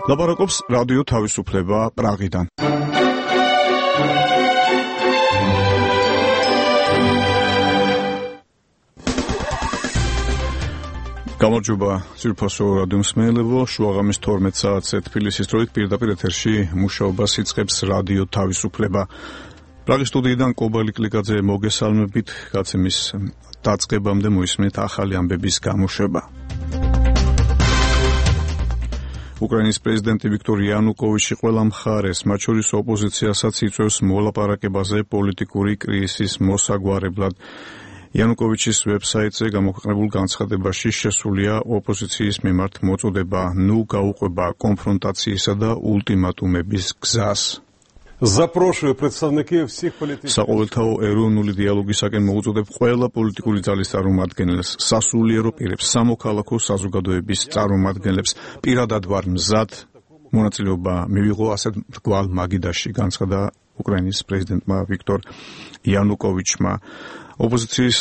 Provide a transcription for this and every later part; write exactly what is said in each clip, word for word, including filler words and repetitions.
ლაპარაკობს რადიო თავისუფლება პრაღიდან. გამარჯობა ძვირფასო რადიო მსმენელებო, შუაღამის თორმეტ საათზე თბილისის დროით პირდაპირ ეთერში მუშაობას იწყებს რადიო თავისუფლება. პრაღის სტუდიიდან კობალი კლიკაძე მოგესალმებით, გაცემის დაწყებამდე მოისმენთ ახალი ამბების გამოშვება. უკრაინის პრეზიდენტი ვიქტორ იანუკოვიჩი ყველა მხარეს, მათ შორის ოპოზიციასაც იწვევს მოლაპარაკებაზე პოლიტიკური კრიზისის მოსაგვარებლად. იანუკოვიჩის ვებსაიტზე გამოქვეყნებულ განცხადებაში შესულია ოპოზიციის მიმართ მოწოდება ნუ გაუყვება კონფრონტაციისა და ულტიმატუმების გზას. Запрошую представників всіх політичних საყოველთაო ეროვნული დიალოგისაკენ მოუწოდებ ყველა პოლიტიკური ძალის წარმომადგენელს, სასულიერო პირებს, სამოქალაქო საზოგადოების წარმომადგენლებს. პირადად ვარ მზად მონაწილეობა მივიღო ასეთ მრგვალ მაგიდაში, განცხადა უკრაინის პრეზიდენტმა ვიქტორ იანუკოვიჩმა. ოპოზიციის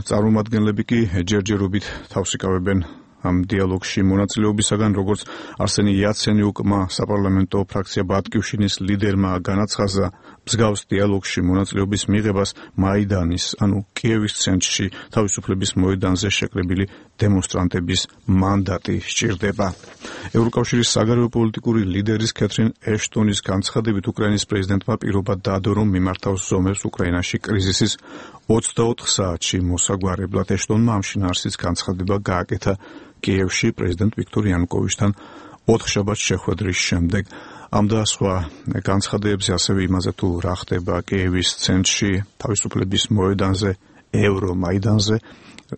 წარმომადგენლები კი ჯერჯერობით თავს იკავებენ ამ დიალოგში მონაწილეობისაგან, როგორც არსენი იაცენიუკმა საპარლამენტო ფრაქცია ბატკივშინის ლიდერმა განაცხადა, მსგავს დიალოგში მონაწილეობის მიღებას მაიდანის, ანუ კიევის ცენტრში თავისუფლების მოედანზე შეკრებილი დემონსტრანტების მანდატი სჭირდება. ევროკავშირის საგარეო პოლიტიკური ლიდერის კეთრინ ეშტონის განცხადებით, უკრაინის პრეზიდენტმა პირობა დადო, რომ მიმართავს ზომებს უკრაინაში კრიზისის ოცდაოთხ საათში მოსაგვარებლად. ეშტონმა ამ შინაარსის განცხადება გააკეთა კიევში პრეზიდენტ ვიქტორ იანუკოვიჩთან ოთხშაბათს შეხვედრის შემდეგ. ამ და სხვა განცხადებებზე, ასევე იმაზე თუ რა ხდება კიევის ცენტრში, თავისუფლების მოედანზე, ევრომაიდანზე,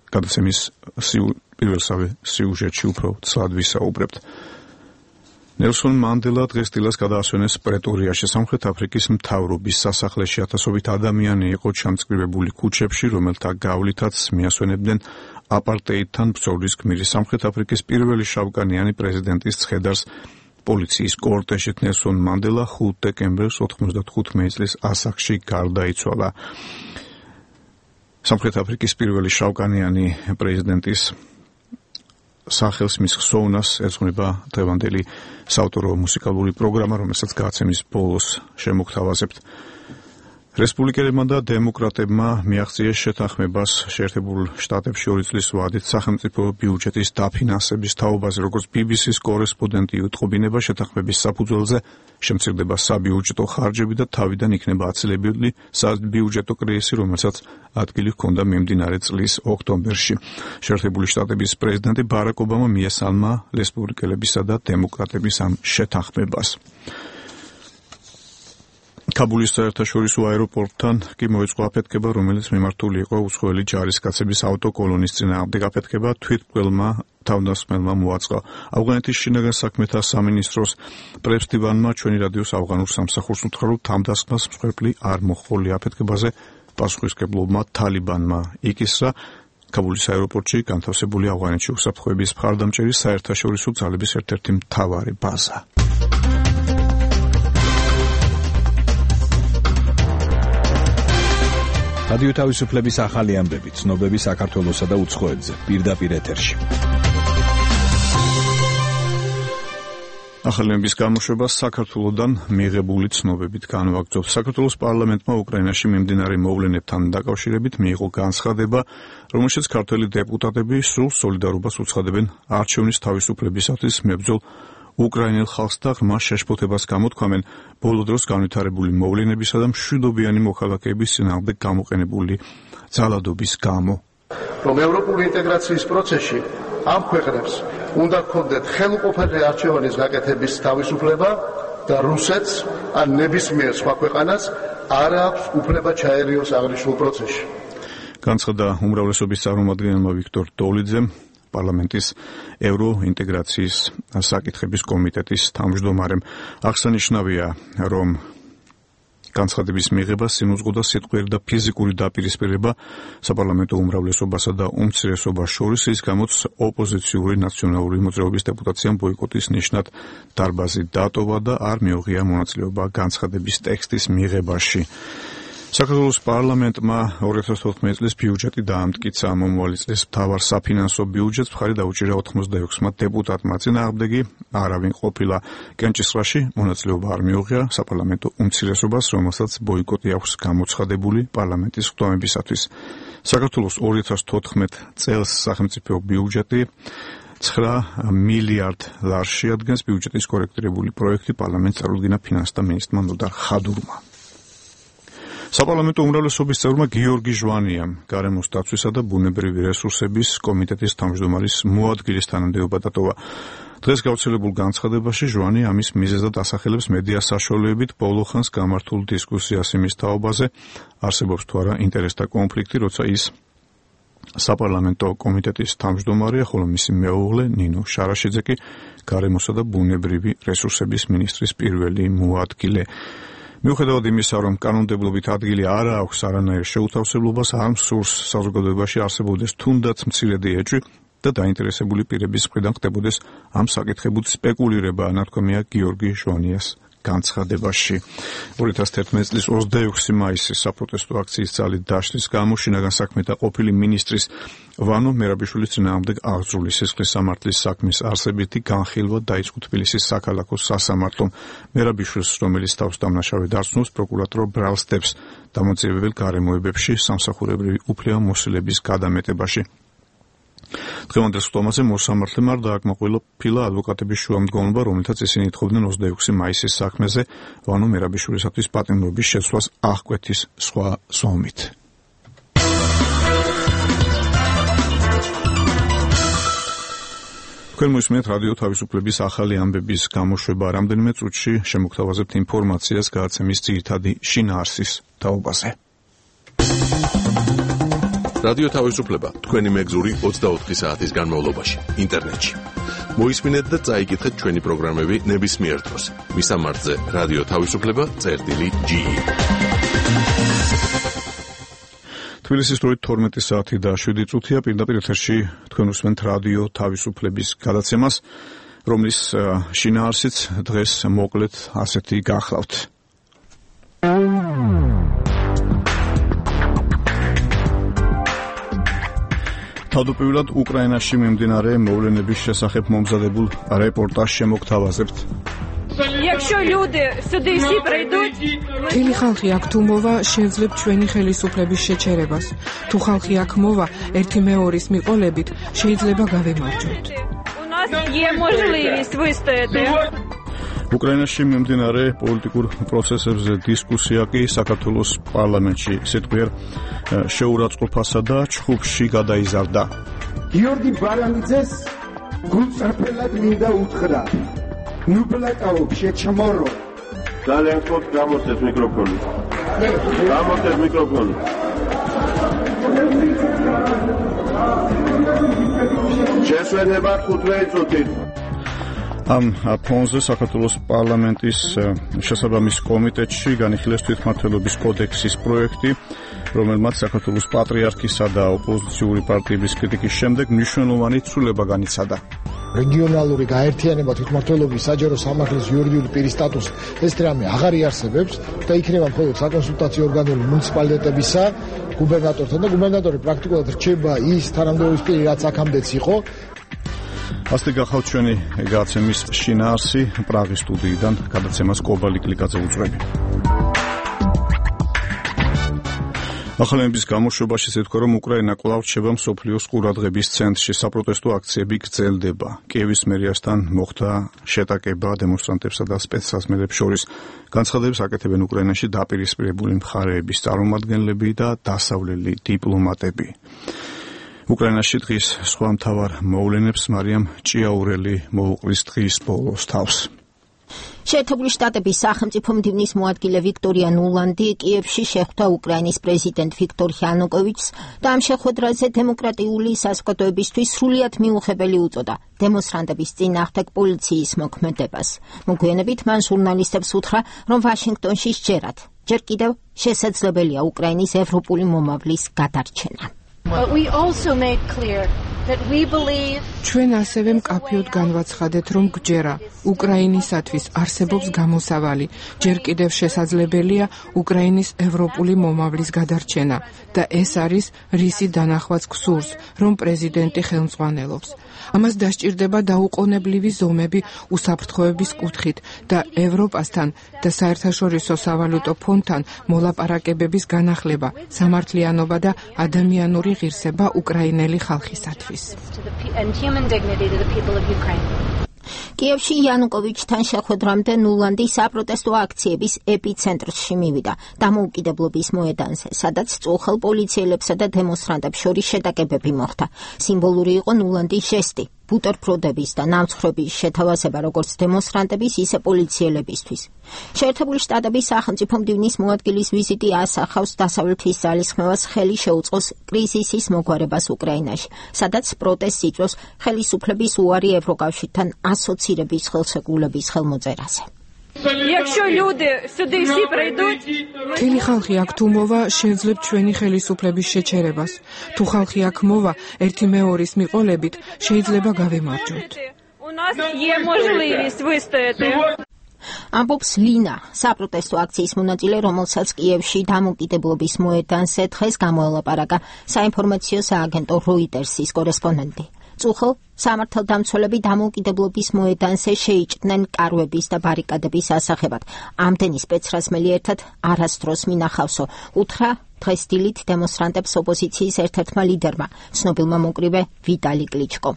გადაცემის პირველსავე სიუჟეტში უფრო ცალად ვისაუბრებთ. ნელსონ მანდელა დღესდილას გადაასვენეს პრეტორიაში, სამხრეთ აფრიკის მთავრობის სასახლეში. ათასობით ადამიანი იყო ჩამწკრივებული ქუჩებში, რომელთა გავლითაც მიასვენებდნენ აპარტეიდთან ბრძოლის გმირი სამხრეთ აფრიკის პირველი შავკანიანი პრეზიდენტის ცხედარს პოლიციის კორტეჟით. ნელსონ მანდელა ხუთი დეკემბერს ოთხმოცდათხუთმეტი წლის ასაკში გარდაიცვალა. სამხრეთ აფრიკის პირველი შავკანიანი პრეზიდენტის სახელს მის ხსოვნას ეძღვნება დღევანდელი საავტორო მუსიკალური პროგრამა, რომელსაც გადაცემის ბოლოს შემოგთავაზებთ. რესპუბლიკელებმა და დემოკრატებმა მიაღწიეს შეთანხმებას შეერთებულ შტატებში ორი წლის ვადით სახელმწიფო ბიუჯეტის დაფინანსების თაობაზე. როგორც ბი ბი სის კორესპონდენტი უტყობინება, შეთანხმების საფუძველზე შემცირდება საბიუჯეტო ხარჯები და თავიდან იქნება აცილებული საბიუჯეტო კრიზისი, რომელსაც ადგილი ჰქონდა მიმდინარე წლის ოქტომბერში. შეერთებული შტატების პრეზიდენტი ბარაკ ობამა მიესალმა რესპუბლიკელებისა და დემოკრატების ამ შეთანხმებას. კაბულის საერთაშორისო აეროპორტთან კი მოეწყო აფეთქება, რომელიც მიმართული იყო უცხოელი ჯარისკაცების ავტოკოლონის წინააღმდეგ. აფეთქება თვითმკვლელმა თავდასხმელმა მოაწყო. ავღანეთის შინაგან საქმეთა სამინისტროს პრესდივანმა ჩვენი რადიოს ავღანურ სამსახურს უთხრა, რომ თავდასხმას მსხვერპლი არ მოჰყოლია. აფეთქებაზე პასუხისმგებლობმა თალიბანმა იკისრა. კაბულის აეროპორტში განთავსებული ავღანეთში უსაფრთხოების მხარდამჭერი საერთაშორისო ძალების ერთ-ერთი მთავარი ბაზა. რადიო თავისუფლების ახალი ამბები, ცნობები საქართველოსა და უცხოეთზე, პირდაპირ ეთერში. ახალი ამბების გამოშვება საქართველოსდან მიღებული ცნობებით განვაგრძობთ. საქართველოს პარლამენტმა უკრაინაში მიმდინარე მოვლენებთან დაკავშირებით მიიღო განცხადება, რომელშიც ქართველი დეპუტატები სრულ სოლიდარობას უცხადებენ არჩევნის თავისუფლებისათვის მებრძოლ უკრაინელ ხალხს და ღრმა შეშფოთებას გამოთქვამენ ბოლო დროს განვითარებული მოვლენებისა და მშვიდობიანი მოქალაქეების წინააღმდეგ გამოყენებული ძალადობის გამო. რომ ევროპული ინტეგრაციის პროცესში ამ ქვეყნებს უნდა ჰქონდეთ ხელუყოფელი არჩევანის გაკეთების თავისუფლება და რუსეთს ან ნებისმიერ სხვა ქვეყანას არ აქვს უფლება ჩაერიოს აღნიშნულ პროცესში. განცხადა უმრავლესობის წარმომადგენელმა ვიქტორ დოლიძემ, პარლამენტის ევროინტეგრაციის საკითხების კომიტეტის თავმჯდომარემ. აღსანიშნავია, რომ განცხადების მიღება სინუზღუდა სიტყვიერი და ფიზიკური დაპირისპირება საპარლამენტო უმრავლესობასა და უმცირესობას შორის, ის გამოც ოპოზიციური ნაციონალური მოძრაობის დეპუტაციამ ბოიკოტის ნიშნად დარბაზი დატოვა და არ მიუღია მონაწილეობა განცხადების ტექსტის მიღებაში. საქართველოს პარლამენტმა ორი ათას თოთხმეტი წლის ბიუჯეტი დაამტკიცა. მომავალი წლის მთავარ საფინანსო ბიუჯეტს მხარი დაუჭირა ოთხმოცდაექვსმა დეპუტატმა. წინააღმდეგი არავინ ყოფილა. კენჭისყრაში მონაწილეობა არ მიუღია საპარლამენტო უმცირესობას, რომელსაც ბოიკოტი აქვს გამოცხადებული პარლამენტის ხდომებისათვის. საქართველოს ორი ათას თოთხმეტი წელს სახელმწიფო ბიუჯეტი ცხრა მილიარდ ლარს შეადგენს. ბიუჯეტის კორექტირებული პროექტი პარლამენტს წარუდგინა ფინანსთა მინისტრმა ნოდარ ხადურმა. საპარლამენტო უმრავლესობის წევრმა გიორგი ჟვანიამ გარემოს დაცვისა და ბუნებრივი რესურსების კომიტეტის თავმჯდომარის მოადგილის თანამდებობა დატოვა. დღეს გავრცელებულ განცხადებაში ჟვანი ამის მიზეზად ასახელებს მედია საშუალებით ბოლო ხანს გამართულ დისკუსიას იმის თაობაზე, არსებობს თუ არა ინტერესთა კონფლიქტი, როცა ის საპარლამენტო კომიტეტის თავმჯდომარეა, ხოლო მისი მეუღლე ნინო შარაშიძე კი გარემოსა და ბუნებრივი რესურსების მინისტრის პირველი მოადგილე. მიუხედავად იმისა, რომ კანონმდებლობით ადგილი არ აქვს არანაირ შეუთავსებლობას, არ მსურს საზოგადოებაში არსებობდეს თუნდაც მცირედი ეჭვი და დაინტერესებული პირების მხრიდან ხდებოდეს ამ საკითხებით სპეკულირება, ნათქვამია გიორგი ჟვანიას განცხადებაში. ორი ათას თერთმეტი წლის ოცდაექვსი მაისის საპროტესტო აქციის ძალით დაშლის გამო შინაგან საქმეთა ყოფილი მინისტრის ვანო მერაბიშვილის წინააღმდეგ აღძრული სისხლის სამართლის საქმის არსებითი განხილვა დაიწყო თბილისის საქალაქო სასამართლომ. მერაბიშვილს, რომელიც თავს დამნაშავედ არცნობს, პროკურატორ ბრალსდებს დამოწიებებელ გარემოებებში სამსახურებრივი უფლებამოსილების გადამეტებაში. დღევანდელ ხდომაზე მოსამართლემ არ დააკმაყოფილა ადვოკატების შუამდგომლობა, რომელთაც ისინი ითხოვდნენ ოცდაექვსი მაისის საქმეზე ვანო მერაბიშვილისათვის პატიმრობის შეცვლას აღკვეთის სხვა ზომით. თქვენ მოისმენთ რადიო თავისუფლების ახალი ამბების გამოშვება. რამდენიმე წუთში შემოგთავაზებთ ინფორმაციას გადაცემის ძირითადი შინაარსის თაობაზე. რადიო თავისუფლება თქვენი მეგზური ოცდაოთხი საათის განმავლობაში ინტერნეტში. მოისმინეთ და წაიკითხეთ ჩვენი პროგრამები ნებისმიერ დროს. მისამართზე რადიო თავისუფლება წერტილი ჯი. თბილისის დროით თორმეტი საათი და შვიდი წუთია. პირდაპირ ეთერში თქვენ უსმენთ რადიო თავისუფლების გადაცემას, რომლის შინაარსიც დღეს მოკლედ ასეთი გახლავთ. თავდაპირველად უკრაინაში მიმდინარე მოვლენების შესახებ მომზადებულ რეპორტაჟს შემოგთავაზებთ. Якщо люди сюди всі прийдуть, მთელი ხალხი აქ თუ მოვა, შევძლებთ ჩვენი ხელისუფლების შეჩერებას. თუ ხალხი აქ მოვა, ერთი მეორის მიყოლებით, შეიძლება გავემარჯვოთ. у нас є можливість вистояти. უკრაინაში მიმდინარე პოლიტიკურ პროცესებზე დისკუსია კი საქართველოს პარლამენტში სიტყვიერ შეურაცხყოფასა და ჩხუბში გადაიზარდა. გიორგი ბარანიძეს გულწრფელად მინდა უთხრა. ნუ ბლეკაო შეჩმორო. ძალიან ხოთ გამოსცეთ მიკროფონი. გამოსცეთ მიკროფონი. შესვენება ხუთმეტი წუთით. ამ ფონზე საქართველოს პარლამენტის შესაბამის კომიტეტში განიხილეს თვითმმართველობის კოდექსის პროექტი, რომელმაც საქართველოს პატრიარქისა და ოპოზიციური პარტიების კრიტიკის შემდეგ მნიშვნელოვანი ცვლილება განიცადა. რეგიონალური გაერთიანება თვითმმართველობის საჯარო სამართლის იურიდიული პირის სტატუსი ეს რამე აღარ იარსებებს და იქნება მხოლოდ საკონსულტაციო ორგანული მუნიციპალიტეტებისა, გუბერნატორთან და გუბერნატორი პრაქტიკულად რჩება ის თანამდებობის პირი, რაც აქამდეც იყო. ასე გახავთ ჩვენი გადაცემის შინაარსი. პრაღის სტუდიიდან გადაცემას კობალი კლიკაძე უძღვები. ახალების გამოშვებაში ეთქვა, რომ უკრაინა კვლავ რჩება მსოფლიოს ყურადღების ცენტრში. საპროტესტო აქციები გრძელდება. კიევის მერიასთან მოხდა შეტაკება დემონსტრანტებსა და სპეცსაზმელებს შორის. განცხადებს აკეთებენ უკრაინაში დაპირისპირებული მხარეების წარმომადგენლები და დასავლელი დიპლომატები. უკრაინაში დღის სხვა მთავარ მოვლენებს მარიამ ჭიაურელი მოუყვის დღის ბოლოს თავს. შეერთებული შტატების სახელმწიფო მდივნის მოადგილე ვიქტორია ნულანდი კიევში შეხვდა უკრაინის პრეზიდენტ ვიქტორ იანუკოვიჩს და ამ შეხვედრაზე დემოკრატიული საზოგადოებისთვის სრულიად მიუღებელი უწოდა დემონსტრანტების წინააღმდეგ პოლიციის მოქმედებას. მოგვიანებით მან ჟურნალისტებს უთხრა, რომ ვაშინგტონში სჯერათ ჯერ კიდევ შესაძლებელია უკრაინის ევროპული მომავლის გადარჩენა. But we also made clear ჩვენ ასევე მკაფიოდ განვაცხადეთ, რომ გჯერა უკრაინისათვის არსებობს გამოსავალი, ჯერ კიდევ შესაძლებელია უკრაინის ევროპული მომავლის გადარჩენა და ეს არის რისი დანახვაც გსურს, რომ პრეზიდენტი ხელმძღვანელობს. ამას დასჭირდება დაუყოვნებლივი ზომები უსაფრთხოების კუთხით და ევროპასთან და საერთაშორისო სავალუტო ფონდთან მოლაპარაკებების განახლება, სამართლიანობა და ადამიანური ღირსება უკრაინელი ხალხისათვის. კიევში იანუკოვიჩთან შეხვედრამდე ნულანდი საპროტესტო აქციების ეპიცენტრში მივიდა დამოუკიდებლობის მოედანზე, სადაც წუხელ პოლიციელებსა და დემონსტრანტებს შორის შეტაკებები მოხდა. სიმბოლური იყო ნულანდის ჟესტი, ბუტერბროდების და ნამცხრობის შეთავაზება როგორც დემონსტრანტების, ისე პოლიციელებისთვის. შეერთებული შტატების სახელმწიფო მდივნის მოადგილის ვიზიტი ასახავს დასავლეთის ძალისხმევას ხელი შეუწყოს კრიზისის მოგვარებას უკრაინაში, სადაც პროტესტს იწვევს ხელისუფლების უარი ევროკავშირთან ასოცირების ხელშეკრულების ხელმოწერაზე. Якщо люди сюди всі прийдуть, მთელი ხალხი აქ თუ მოვა, შევძლებთ ჩვენი ხელისუფლების შეჩერებას. თუ ხალხი აქ მოვა, ერთი მეორის მიყოლებით, შეიძლება გავემარჯვოთ. у нас є можливість вистояти. ამბობს ლინა, საპროტესტო აქციის მონაწილე, რომელსაც კიევში დამოუკიდებლობის მოედანზე დღეს გამოელაპარაკა საინფორმაციო სააგენტო როიტერსის კორესპონდენტი. წუხელ სამართალდამცველები დამოუკიდებლობის მოედანზე შეიჭდნენ კარვების და ბარიკადების ასაღებად. ამდენი სპეცრაზმელი ერთად არასდროს მინახავსო, უთხრა დღეს დილით დემონსტრანტებს ოპოზიციის ერთ-ერთმა ლიდერმა, ცნობილმა მოკრივე ვიტალი კლიჩკომ.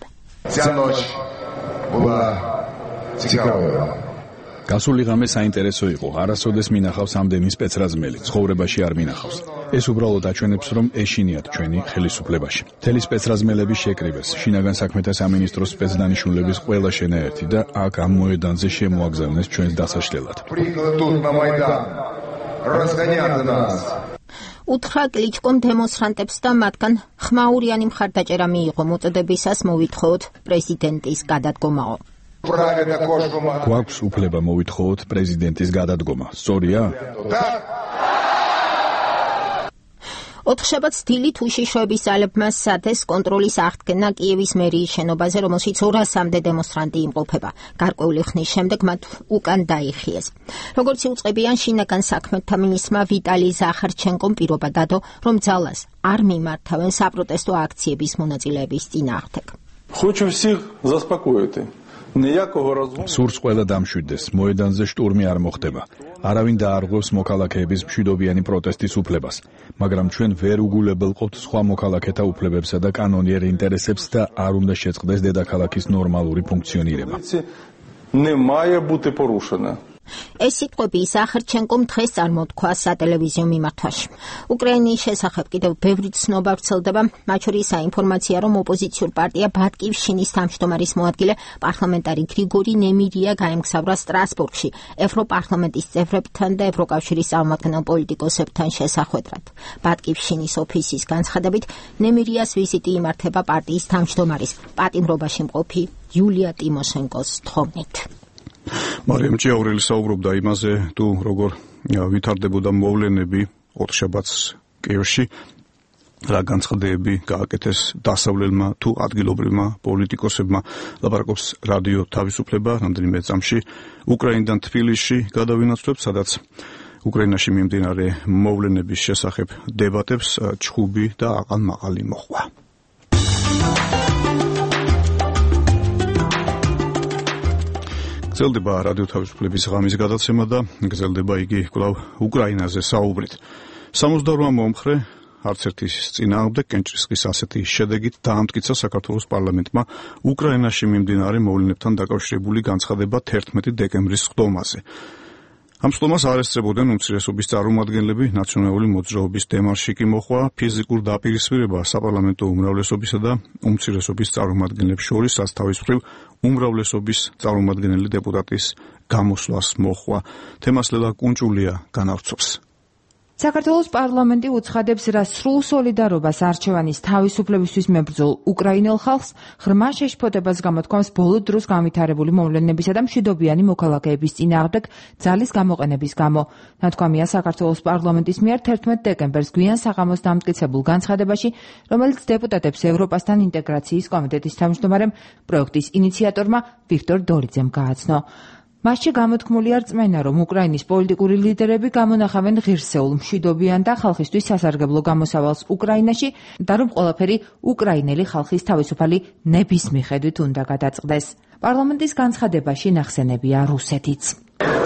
გასული ღამე საინტერესო იყო, არასოდეს მინახავს ამდენი სპეცრაზმელი, ცხოვრებაში არ მინახავს. ეს უბრალოდ აჩვენებს, რომ ეშინიათ ჩვენი ხელისუფლებაში. მთელი სპეცრაზმელები შეკრიბეს, შინაგან საქმეთა სამინისტროს სპეცდანიშნულების ყველა შენაერთი და აქ ამ მოედანზე შემოაგზავნეს ჩვენს დასაშლელად. უთხრა კლიჩკომ დემონსტრანტებს და მათგან ხმაურიანი მხარდაჭერა მიიღო მოწოდებისას მოვითხოვოთ პრეზიდენტის გადადგომაო. გვაქვს უფლება მოვითხოვოთ პრეზიდენტის გადადგომა, სწორია? ოთხშაბათს დილით უშიშროების ძალებმა სცადეს კონტროლის აღდგენა კიევის მერიის შენობაზე, რომელშიც ორასამდე დემონსტრანტი იმყოფება. გარკვეული ხნის შემდეგ მათ უკან დაიხიეს. როგორც იუწყებიან შინაგან საქმეთა მინისტრმა ვიტალი ზახარჩენკომ პირობა დადო, რომ ძალას არ მიმართავენ საპროტესტო აქციების მონაწილეების წინააღმდეგ. Хочу всех заспокоить. სურს ყველა დამშვიდდეს, მოედანზე შტურმი არ მოხდება. არავინ დაარღვევს მოქალაქეების მშვიდობიანი პროტესტის უფლებას, მაგრამ ჩვენ ვერ უგულებელყოფთ სხვა მოქალაქეთა უფლებებსა და კანონიერ ინტერესებს და არ უნდა შეწყდეს დედაქალაქის ნორმალური ფუნქციონირება. Немає бути порушена. ეს სიტყვები ზახარჩენკომ დღეს წარმოთქვა სატელევიზიო მიმართვაში. უკრაინის შესახებ კიდევ ბევრი ცნობა ვრცელდება, მათ შორის საინფორმაცია, რომ ოპოზიციურ პარტია ბატკივშინის თავმჯდომარის მოადგილე პარლამენტარი გრიგორი ნემირია გაემგზავრა სტრასბურგში ევროპარლამენტის წევრებთან და ევროკავშირის წარმომადგენელ პოლიტიკოსებთან შესახვედრად. ბატკივშინის ოფისის განცხადებით, ნემირიას ვიზიტი იმართება პარტიის თავმჯდომარის პატიმრობაში მყოფი იულია ტიმოშენკოს თხოვნით. მარიამ ჭიაურელი საუბრობდა იმაზე, თუ როგორ ვითარდებოდა მოვლენები ოთხშაბათს კიევში, რა განცხადებები გააკეთეს დასავლელმა თუ ადგილობრივმა პოლიტიკოსებმა. ლაპარაკობს რადიო თავისუფლება, რამდენიმე წამში უკრაინიდან თბილისში გადავინაცვლებთ, სადაც უკრაინაში მიმდინარე მოვლენების შესახებ დებატებს ჩხუბი და აყალ-მაყალი მოჰყვა. გრძელდება რადიო თავისუფლების ღამის გადაცემა და გრძელდება იგი კვლავ უკრაინაზე საუბრით. სამოცდაორმა მომხრე არც ერთის წინააღმდეგ კენჭისყრის ასეთი შედეგით დაამტკიცა საქართველოს პარლამენტმა უკრაინაში მიმდინარე მოვლენებთან დაკავშირებული განცხადება თერთმეტი დეკემბრის სხდომაზე. ამ სხდომას არ ესწრებოდნენ უმცირესობის წარმომადგენლები, ნაციონალური მოძრაობის დემარში კი მოხდა ფიზიკურ დაპირისპირება საპარლამენტო უმრავლესობისა და უმცირესობის წარმომადგენლებს შორის, რაც თავისუფლ უმრავლესობის წარმომადგენელი დეპუტატის გამოსვლას მოხდა. თემას ლელა კუნჭულია განავრცობს. საქართველოს პარლამენტი უცხადებს, რა სრულ სოლიდარობას არჩევანის თავისუფლებისთვის მებრძოლ უკრაინელ ხალხს ღრმა შეშფოთებას გამოთქვამს ბოლო დროს განვითარებული მოვლენებისა და მშვიდობიანი მოქალაქეების წინააღმდეგ ძალის გამოყენების გამო. ნათქვამია საქართველოს პარლამენტის მიერ თერთმეტ დეკემბერს გვიან საღამოს დამტკიცებულ განცხადებაში, რომელიც დეპუტატებს ევროპასთან ინტეგრაციის კომიტეტის თავმჯდომარემ პროექტის ინიციატორმა ვიქტორ დორიძემ გააცნო. მასში გამოთქმულია რწმენა, რომ უკრაინის პოლიტიკური ლიდერები გამონახავენ ღირსეულ, მშვიდობიან და ხალხისთვის სასარგებლო გამოსავალს უკრაინაში და რომ ყველაფერი უკრაინელი ხალხის თავისუფალი ნების მიხედვით უნდა გადაწყდეს. პარლამენტის განცხადებაში ნახსენებია რუსეთიც.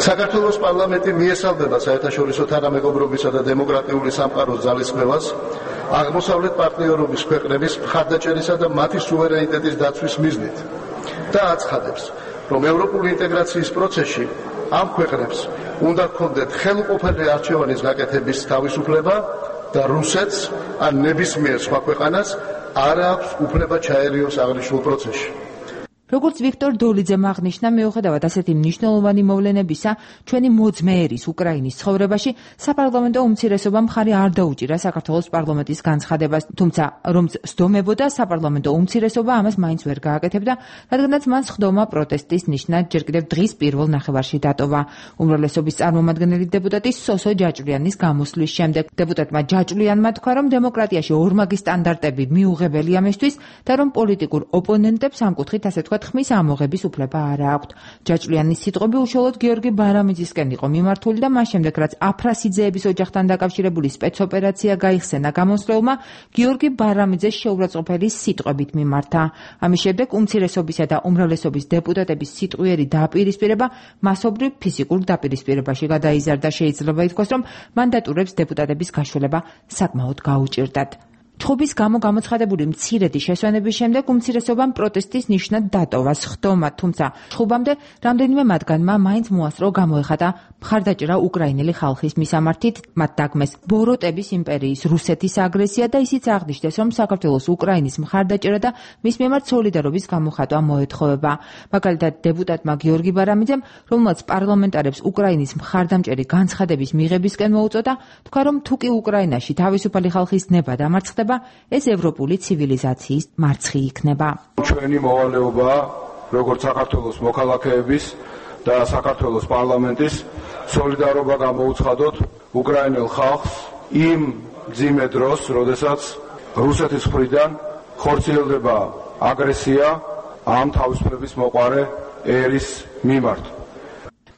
საქართველოს პარლამენტი მიესალმება საერთაშორისო თანამეგობრობისა და დემოკრატიული სამყაროს ძალისხმევას აღმოსავლეთ პარტნიორობის ქვეყნების მხარდაჭერისა და მათი სუვერენიტეტის დაცვის მიზნით და აცხადებს, რომ ევროპული ინტეგრაციის პროცესში ამ ქვეყნებს უნდა ჰქონდეთ ხელუყოფელი არჩევანის გაკეთების თავისუფლება და რუსეთს ან ნებისმიერ სხვა ქვეყანას არ აქვს უფლება ჩაერიოს აღნიშნულ პროცესში. როგორც ვიქტორ დოლიძემ აღნიშნა, მიუხედავად ასეთი მნიშვნელოვანი მოვლენებისა, ჩვენი მოძმეერის უკრაინის ცხოვრებაში საპარლამენტო უმცირესობამ მხარი არ დაუჭირა საქართველოს პარლამენტის განცხადებას, თუმცა რომც სდომებოდა, საპარლამენტო უმცირესობა ამას მაინც ვერ გააკეთებდა, რადგანაც მან სხდომა პროტესტის ნიშნად ჯერ კიდევ დღის პირველ ნახევარში დატოვა. უმრავლესობის წარმომადგენელი დეპუტატი სოსო ჯაჭვლიანის გამოსვლის შემდეგ დეპუტატმა ჯაჭვლიანმა თქვა, რომ დემოკრატიაში ორმაგი სტანდარტები მიუღებელია მისთვის და რომ პოლიტიკურ ოპონენტებს ამ კუთხით ასე თქვა ხმის ამოღების უფლება არ აქვთ. ჯაჭვლიანის სიტყვები უშუალოდ გიორგი ბარამიძისკენ იყო მიმართული და მას შემდეგ, რაც აფრასიძეების ოჯახთან დაკავშირებული სპეცოპერაცია გაიხსენა გამოსვლელმა, გიორგი ბარამიძეს შეურაცხყოფელი სიტყვებით მიმართა. ამის შემდეგ უმცირესობისა და უმრავლესობის დეპუტატების სიტყვიერი დაპირისპირება მასობრივ ფიზიკურ დაპირისპირებაში გადაიზარდა. შეიძლება ითქვას, რომ მანდატურებს დეპუტატების გაშველება საკმაოდ გაუჭირდათ. ჩხუბის გამო გამოცხადებული მცირედი შესვენების შემდეგ უმცირესობამ პროტესტის ნიშნად დატოვა სხდომა, თუმცა ჩხუბამდე რამდენიმე მათგანმა მაინც მოასწრო გამოეხატა მხარდაჭერა უკრაინელი ხალხის მისამართით, მათ დაგმეს ბოროტების იმპერიის რუსეთის აგრესია და ისიც აღნიშნეს, რომ საქართველოს უკრაინის მხარდაჭერა და მის მიმართ სოლიდარობის გამოხატვა მოეთხოვება. მაგალითად, დეპუტატმა გიორგი ბარამიძემ, რომელმაც პარლამენტარებს უკრაინის მხარდამჭერი განცხადების მიღებისკენ მოუწოდა, თქვა, რომ თუკი უკრაინაში თავისუფალი ხალხის ნება დამარცხდება, ეს ევროპული ცივილიზაციის მარცხი იქნება. ჩვენი მოვალეობაა, როგორც საქართველოს მოქალაქეების და საქართველოს პარლამენტის სოლიდარობა გამოუცხადოთ უკრაინელ ხალხს იმ მძიმე დროს, როდესაც რუსეთის მხრიდან ხორციელდება აგრესია ამ თავისუფლების მოყარე ერის მიმართ.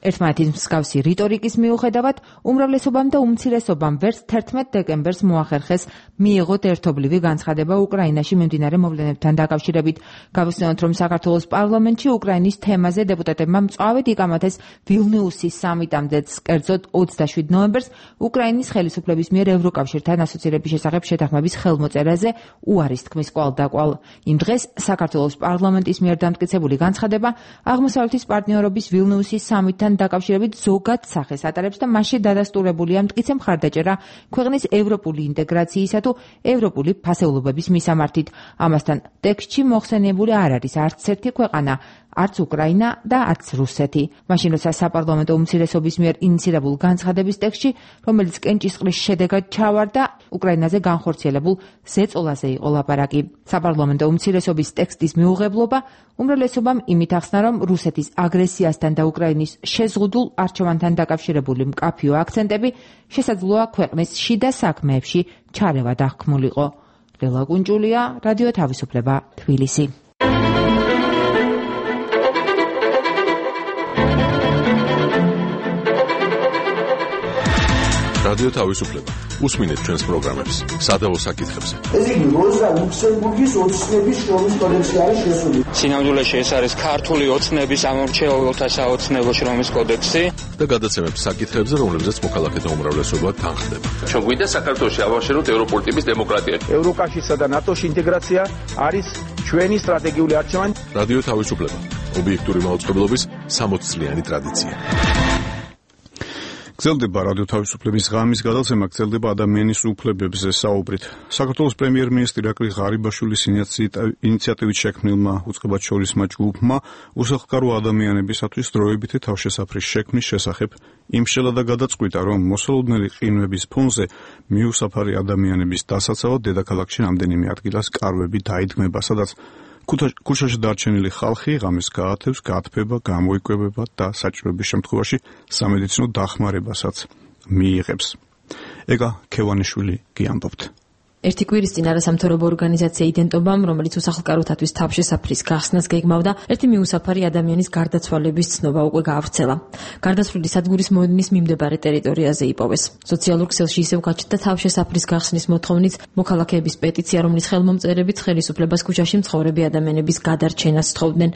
ერთმანეთის მსგავსი რიტორიკის მიუხედავად, უმრავლესობამ და უმცირესობამ ვერც თერთმეტ დეკემბერს მოახერხეს მიიღოთ ერთობლივი განცხადება უკრაინაში მიმდინარე მოვლენებთან დაკავშირებით. გავიხსენოთ, რომ საქართველოს პარლამენტში უკრაინის თემაზე დეპუტატებმა მწვავედ იკამათეს ვილნიუსის სამიტამდეც, კერძოდ ოცდაშვიდ ნოემბერს უკრაინის ხელისუფლების მიერ ევროკავშირთან ასოცირების შესახებ შეთანხმების ხელმოწერაზე უარის თქმის კვალდაკვალ. იმ დღეს საქართველოს პარლამენტის მიერ დამტკიცებული განცხადება აღმოსავლეთის პარტნიორობის ვილნიუსის სამიტთან დაკავშირებით ზოგად სახეს ატარებს და მასში დადასტურებულია მტკიცე მხარდაჭერა ქვეყნის ევროპული ინტეგრაციისა თუ ევროპული ფასეულობების მისამართით. ამასთან ტექსტში მოხსენიებული არ არის არც ერთი ქვეყანა, არც უკრაინა და არც რუსეთი. მაშინ როცა საპარლამენტო უმცირესობის მიერ ინიცირებულ განცხადების ტექსტში, რომელიც კენჭისყრის შედეგად ჩავარდა, უკრაინაზე განხორციელებულ ზეწოლაზე იყო ლაპარაკი. საპარლამენტო უმცირესობის ტექსტის მიუღებლობა უმრავლესობამ იმით ახსნა, რომ რუსეთის აგრესიასთან და უკრაინის შეზღუდულ არჩევანთან დაკავშირებული მკაფიო აქცენტები შესაძლოა ქვეყნის შიდა საქმეებში ჩარევა დახქმულიყო. ლელა კუნჭულია, რადიო თავისუფლება, თბილისი. რადიო თავისუფლება. უსმინეთ ჩვენს პროგრამებს, სადავო საკითხებზე. ეს იგი როზა ლუქსემბურგის ოცნების შრომის კოდექსი არის შესული. სინამდვილეში ეს არის ქართული ოცნების ამორჩეულთა საოცნებო შრომის კოდექსი და გადაცემებს საკითხებზე, რომლებზეც მოქალაქეთა უმრავლესობა თანხდება. ჩვენ გვინდა საქართველოში ავაშენოთ ევროპული ტიპის დემოკრატია. ევროკავშირსა და ნატოში ინტეგრაცია არის ჩვენი სტრატეგიული არჩევანი. რადიო თავისუფლება. ობიექტური მაუწყებლობის სამოცწლიანი ტრადიცია. გრძელდება რადიო თავისუფლების ღამის გადაცემა, გრძელდება ადამიანის უფლებებზე საუბრით. საქართველოს პრემიერ-მინისტრი ირაკლი ღარიბაშვილის ინიციატივით შექმნილმა უწყებად შორისმა ჯგუფმა უსახლკარო ადამიანებისათვის დროებითი თავშესაფრის შექმნის შესახებ იმშელა და გადაწყვიტა, რომ მოსალოდნელი ყინვების ფონზე მიუსაფარი ადამიანების დასაცავად დედაქალაქში რამდენიმე ადგილას კარვები დაიდგმება, სადაც ქუჩაში დარჩენილი ხალხი ღამეს გაათევს, გაათბება, გამოიკვებება და საჭიროების შემთხვევაში სამედიცინო დახმარებასაც მიიღებს. ეკა ქევანიშვილი გიამბობთ. ერთი კვირის წინ არასამთავრობო ორგანიზაცია იდენტობამ, რომელიც უსახლკაროთათვის თავშესაფრის გახსნას გეგმავდა, ერთი მიუსაფარი ადამიანის გარდაცვალების ცნობა უკვე გაავრცელა. გარდაცვლილი სადგურის მოედნის მიმდებარე ტერიტორიაზე იპოვეს. სოციალურ ქსელში ისევ გაჩნდა თავშესაფრის გახსნის მოთხოვნით მოქალაქეების პეტიცია, რომლის ხელმომწერებიც ხელისუფლებას ქუჩაში მცხოვრები ადამიანების გადარჩენას სთხოვდნენ.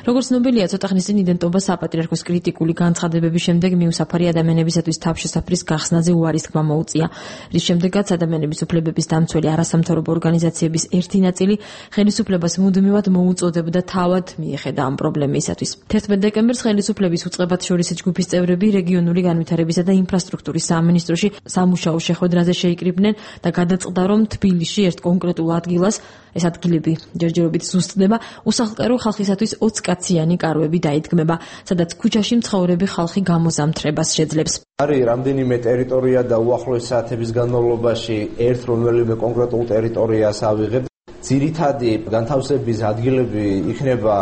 როგორც ცნობილია, ცოტა ხნის წინ იდენტობა საპატრიარქოს კრიტიკული განცხადებების შემდეგ მიუსაფარი ადამიანებისათვის თავშესაფრის გახსნაზე უარის თქმა მოუწია, რის შემდეგაც ადამიანების უფლებების დამცველი არასამთავრობო ორგანიზაციების ერთი ნაწილი ხელისუფლებას მუდმივად მოუწოდებდა თავად მიეხედა ამ პრობლემისათვის. თერთმეტ დეკემბერს ხელისუფლების უწყებად შორისი ჯგუფის წევრები რეგიონული განვითარებისა და ინფრასტრუქტურის სამინისტროში სამუშაო შეხვედრაზე შეიკრიბნენ და გადაწყდა, რომ თბილისში ერთ კონკრეტულ ადგილას, ეს ადგილები ჯერჯერობით ზუსტდება, უსახლკარო ხალხისათვის ოცკაციანი კარვები დაიდგმება, სადაც ქუჩაში მცხოვრები ხალხი გამოზამთრებას შეძლებს. არის რამდენიმე ტერიტორია და უახლოესი საათების განმავლობაში ერთ რომელიმე კონკრეტულ ტერიტორიას ავიღებ. ძირითადი განთავსების ადგილები იქნება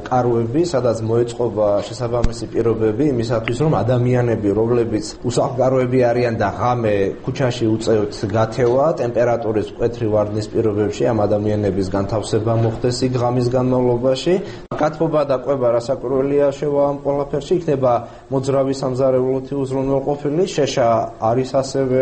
კარვები, სადაც მოეწყობა შესაბამისი პირობები იმისათვის, რომ ადამიანები, რომლებიც უსახლკაროები არიან და ღამე ქუჩაში უწევთ გათევა, ტემპერატურის მკვეთრი ვარდნის პირობებში ამ ადამიანების განთავსება მოხდეს იქ ღამის განმავლობაში. გათბობა და კვება რასაკვირველია შევა ამ ყველაფერში, იქნება მოძრავი სამზარეულოთი უზრუნველყოფილი, შეშა არის ასევე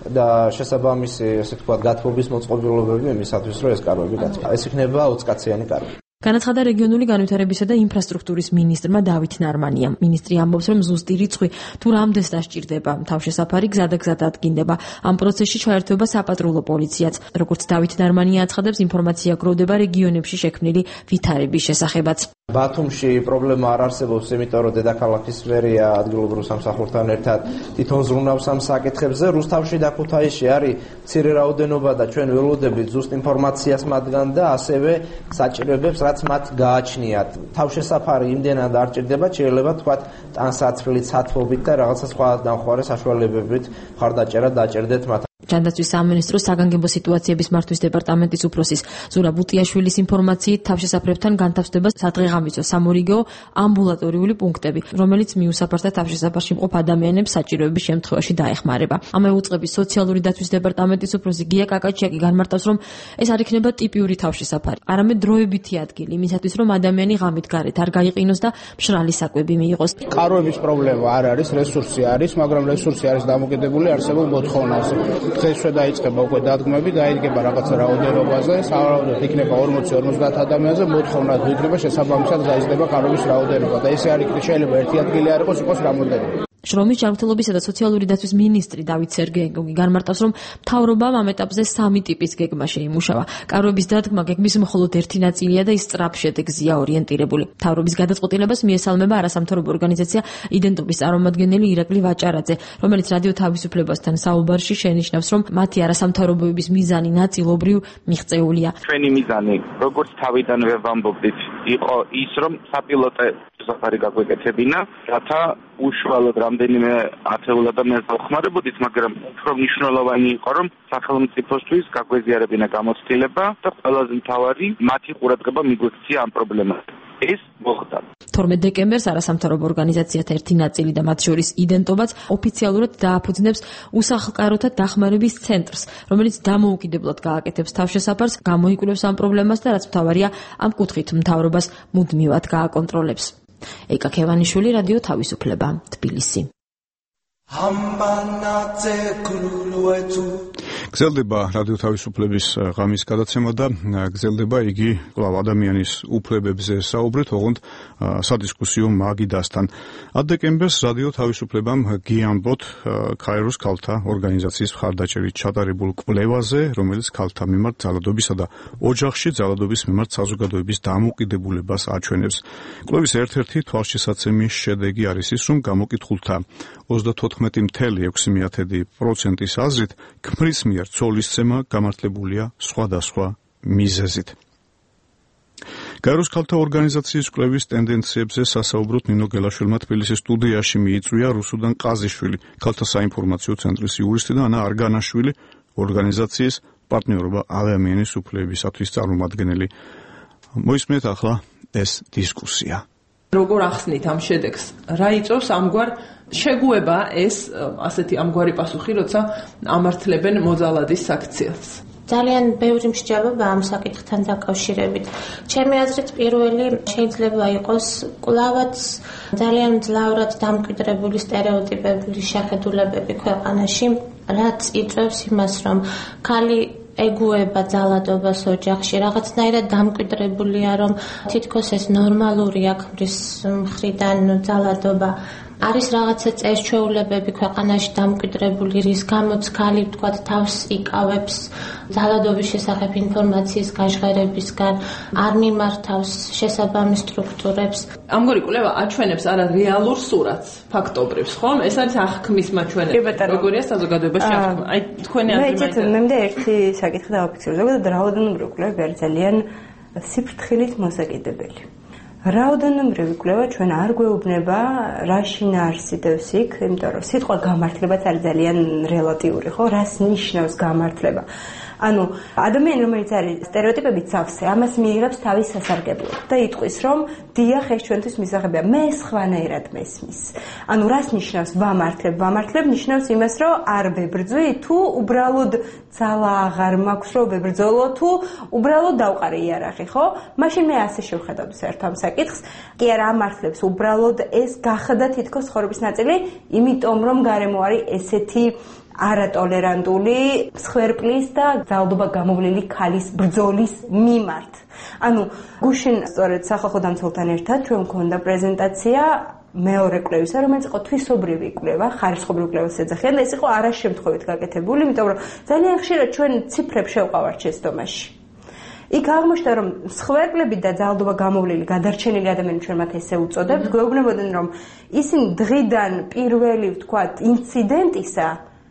და შესაბამისი, ასე ვთქვათ, გათბობის მოწყობილობები იმისათვის, რომ ეს კარვები გაწვა. ეს იქნება ოცკაციანი კარვი. განაცხადა რეგიონული განვითარებისა და ინფრასტრუქტურის მინისტრმა დავით ნარმანიამ. მინისტრი ამბობს, რომ ზუსტი რიცხვი თუ რამდენს დასჭირდება თავშესაფარი გზა და გზა დადგინდება. ამ პროცესში ჩაერთვება საპატრულო პოლიციაც. როგორც დავით ნარმანია აცხადებს, ინფორმაცია გროვდება რეგიონებში შექმნილი ვითარების შესახებაც. ბათუმში პრობლემა არ არსებობს, იმიტომ რომ დედაქალაქის მერია ადგილობრივ სამსახურთან ერთად თვითონ ზრუნავს ამ საკითხებზე. რუსთავში და ქუთაისში არის მცირე რაოდენობა და ჩვენ ველოდებით ზუსტ ინფორმაციას მათგან და ასევე საჭიროებებს, რაც მათ გააჩნიათ. თავშესაფარი იმდენად არ ჭირდება, შეიძლება თქვათ ტანსაცმლით, სათბობით და რაღაცა სხვა დამხმარე საშუალებებით მხარდაჭერა დაჭერდეთ მათ. ჯანდაცვის სამინისტროს საგანგებო სიტუაციების მართვის დეპარტამენტის უფროსის ზურაბ უტიაშვილის ინფორმაციით თავშესაფრებთან განთავსდება სადღეღამისო სამორიგეო ამბულატორიული პუნქტები, რომელიც მიუსაფართა თავშესაფარში მყოფ ადამიანებს საჭიროების შემთხვევაში დაეხმარება. ამავე უწყების სოციალური დაცვის დეპარტამენტის უფროსი გია კაკაჩიაკი განმარტავს, რომ ეს არ იქნება ტიპიური თავშესაფარი, არამედ დროებითი ადგილი იმისათვის, რომ ადამიანი ღამით გარეთ არ გაიყინოს და მშრალი საკვები მიიღოს. კარვების პრობლემა არ არის, რესურსი არის, მაგრამ რესურსი არის დამოკიდებული არსებულ მოთხოვნაზე. დღესვე დაიწყება უკვე დადგმები, დაიდგება რაღაცა რაოდენობაზე, სავარაუდოდ იქნება ორმოცი ორმოცდაათ ადამიანზე, მოთხოვნა თუ იქნება შესაბამისად გაიზრდება კარვების რაოდენობა და ესე არ იქნება, შეიძლება ერთი ადგილი არ იყოს, იყოს რამოდენიმე. შრომის ჯანმრთელობისა და სოციალური დაცვის მინისტრი დავით სერგეევი განმარტავს, რომ მთავრობამ ამ ეტაპზე სამი ტიპის გეგმა შეიმუშავა. კარვების დადგმა გეგმის მხოლოდ ერთი ნაწილია და ის სწრაფ შედეგზეა ორიენტირებული. მთავრობის გადაწყვეტილებას მიესალმება არასამთავრობო ორგანიზაცია იდენტობის წარმომადგენელი ირაკლი ვაჭარაძე, რომელიც რადიო თავისუფლებასთან საუბარში შენიშნავს, რომ მათი არასამთავრობოების მიზანი ნაწილობრივ მიღწეულია. ჩვენი მიზანი, როგორც თავიდანვე ვამბობდით, იყო ის, რომ საპილოტე საფარი გაგვეკეთებინა, რათა უშუალოდ რამდენიმე ათეულ ადამიანს დავხმარებოდით, მაგრამ უფრო მნიშვნელოვანი იყო, რომ სახელმწიფოსთვის გაგვეზიარებინა გამოცდილება და ყველაზე მთავარი მათი ყურადღება მიგვექცია ამ პრობლემაზე. ეს მოხდა. თორმეტ დეკემბერს არასამთავრობო ორგანიზაციათა ერთი ნაწილი და მათ შორის იდენტობაც ოფიციალურად დააფუძნებს უსახლკაროთა დახმარების ცენტრს, რომელიც დამოუკიდებლად გააკეთებს თავშესაფარს, გამოიკვლევს ამ პრობლემას და რაც მთავარია, ამ კუთხით მთავრობას მუდმივად გააკონტროლებს. ეკა ქევანიშვილი, რადიო თავისუფლება, თბილისი. გრძელდება რადიო თავისუფლების ღამის გადაცემა და გრძელდება იგი კვლავ ადამიანის უფლებებზე საუბრით, ოღონდ სადისკუსიო მაგიდასთან. ათ დეკემბერს რადიო თავისუფლებამ გიამბოთ ქაიროს ქალთა ორგანიზაციის მხარდაჭერით ჩატარებულ კვლევაზე, რომელიც ქალთა მიმართ ძალადობისა და ოჯახში ძალადობის მიმართ საზოგადოების დამოუკიდებლობას აჩვენებს. კვლევის ერთ-ერთი თვალშისაცემი შედეგი არის ის, რომ გამოკითხულთა ოცდათოთხმეტი წუთი ექვსი პროცენტის აზრით ქმრის მიერ ცოლისცემა გამართლებულია სხვადასხვა მიზეზით. გაეროს ქალთა ორგანიზაციის კვლევის ტენდენციებზე სასაუბროდ ნინო გელაშვილმა თბილისის სტუდიაში მიიწვია რუსუდან ყაზიშვილი, ქალთა საინფორმაციო ცენტრის იურისტი და ანა არგანაშვილი, ორგანიზაციის პარტნიორობა ადამიანის უფლებისათვის წარმომადგენელი. მოისმენთ ახლა ეს დისკუსია. როგორ ახსნით ამ შედეგს? რა იწვევს ამგვარ შეგუება ეს ასეთი ამგვარი პასუხი, როცა ამართლებენ მოძალადის საქციელს? ძალიან ბევრი მსჯელობა ამ საკითხთან დაკავშირებით. ჩემი აზრით პირველი შეიძლება იყოს კვლავაც ძალიან მძლავრად დამკვიდრებული სტერეოტიპების შეხედულებები ქვეყანაში, რაც იწვევს იმას, რომ ქალი ეგუება ძალადობას ოჯახში, რაღაცნაირად დამკვიდრებულია, რომ თითქოს ეს ნორმალურია ქმრის მხრიდან ძალადობა. არის რაღაცა წესჩვეულებები ქვეყანაში დამკვიდრებული, რის გამოც ქალი ვთქვათ თავს იკავებს ძალადობის შესახებ ინფორმაციის გაჟღერებისგან, არ მიმართავს შესაბამის სტრუქტურებს. ამგვარი კვლევა აჩვენებს არა რეალურ სურათს, ფაქტობრივს, ხომ? ეს არის აღქმის მაჩვენებელი. როგორია საზოგადოებაში აღქმა? აი თქვენი აზრით. მე მე ერთი საკითხი დავაფიქსირე. ზოგადად რაოდენობრივი კვლევები არის ძალიან სიფრთხილით მოსაკიდებელი. რაოდენობრივი კვლევა ჩვენ არ გვეუბნება რა შინაარსიდევს იქ, იმიტომ რომ სიტყვა გამართლებაც არის ძალიან რელატიური, ხო? რას ნიშნავს გამართლება? ანუ ადამიანი რომელიც არის სტერეოტიპებით სავსე, ამას მიიღებს თავის სასარგებლოდ და იტყვის რომ დიახ ეს ჩვენთვის მისაღებია, მე სხვანაირად მესმის. ანუ რას ნიშნავს ვამართლებ? ვამართლებ ნიშნავს იმას, რომ არ ვებრძვი თუ უბრალოდ ძალა აღარ მაქვს რომ ვებრძოლო თუ უბრალოდ დავყარე იარაღი, ხო? მაშინ მე ასე შევხედავდი საერთოდ ამ საკითხს. კი არა ამართლებს, უბრალოდ ეს გახდა თითქოს ცხოვრების ნაწილი, იმიტომ რომ გარემო არის ესეთი არატოლერანტული მსხვერპლის და ძალადობა გამოვლილი ქალის ბრძოლის მიმართ. ანუ გუშინ სწორედ სახალხო დამცველთან ერთად ჩვენ მქონდა პრეზენტაცია მეორე კვლევისა, რომელიც იყო თვისობრივი კვლევა, ხარისხობრივი კვლევის ეძახიან და ეს იყო არაშემთხვევით გაკეთებული, იმიტომ რომ ძალიან ხშირად ჩვენ ციფრებს შევყავართ შეცდომაში. იქ აღმოჩნდა, რომ მსხვერპლები და ძალადობა გამოვლილი გადარჩენილი ადამიანები ჩვენ მათ ესე უწოდებთ, გვეუბნებოდნენ, რომ ისინი დღიდან პირველი, ვთქვათ, ინციდენტისა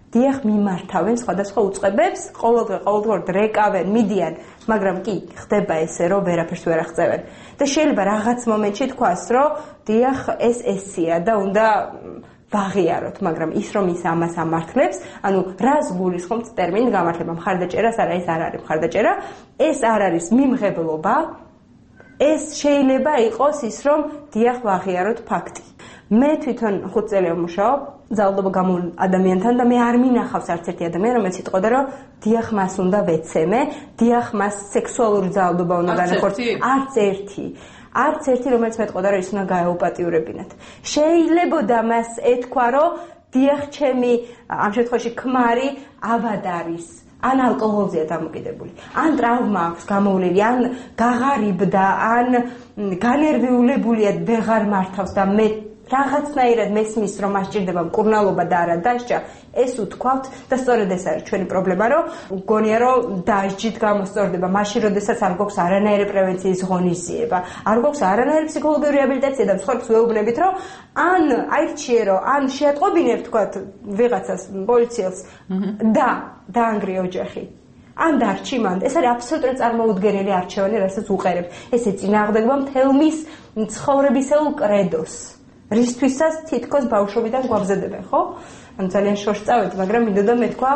დიახ მიმართავენ სხვადასხვა უწყებებს, ყოველდღე ყოველდღურად რეკავენ, მიდიან, მაგრამ კი ხდება ესე, რომ ვერაფერს ვერ აღწევენ. და შეიძლება რაღაც მომენტში თქვას, რომ დიახ ეს ესია და უნდა ვაღიაროთ, მაგრამ ის რომ ის ამას ამართლებს, ანუ რას გულისხმობს ტერმინით გამართლება? მხარდაჭერას არა, ეს არ არის მხარდაჭერა, ეს არ არის მიმღებლობა, ეს შეიძლება იყოს ის, რომ დიახ ვაღიაროთ ფაქტი. მე თვითონ ხუთ წელი ვმუშაობ ძალადობა გამოვლილ ადამიანთან და მე არ მინახავს არც ერთი ადამიანი, რომელიც იტყოდა, რომ დიახ მას უნდა ვეცემე, დიახ მას სექსუალური ძალადობა უნდა განახორციელოს. არც ერთი. არც ერთი, რომელიც მეტყოდა, რომ ის უნდა გაეუპატიურებინათ. შეიძლებოდა მას ეთქვა, რომ დიახ ჩემი ამ შემთხვევაში ქმარი ავად არის. ან ალკოჰოლზეა დამოკიდებული, ან ტრავმა აქვს გამოვლილი, ან გაღარიბდა, ან განერვიულებულია, ვეღარ მართავს და მე რაღაცნაირად მესმის, რომ მას ჭირდება მკურნალობა და არა დასჯა, ეს უთქვავთ და სწორედ ეს არის ჩვენი პრობლემა, რომ გონია, რომ დასჯით გამოსწორდება, მაშინ როდესაც არ გვაქვს არანაირი პრევენციის ღონისძიება, არ გვაქვს არანაირი ფსიქოლოგიური რეაბილიტაცია და მსხვერპლს ვეუბნებით, რომ ან აირჩიერო, ან შეატყობინებ, თქვათ, ვიღაცას, პოლიციელს და დაანგრიე ოჯახი. ან დარჩი მან. ეს არის აბსოლუტურად წარმოუდგენელი არჩევანი, რასაც უყერებ. ეს ეწინააღმდეგება მთელ მის ცხოვრებისეულ კრედოს. რისთვისაც თითქოს ბავშვობიდან გვაბზედებენ, ხო? ანუ ძალიან შორს წავედი, მაგრამ მინდოდა მეთქვა,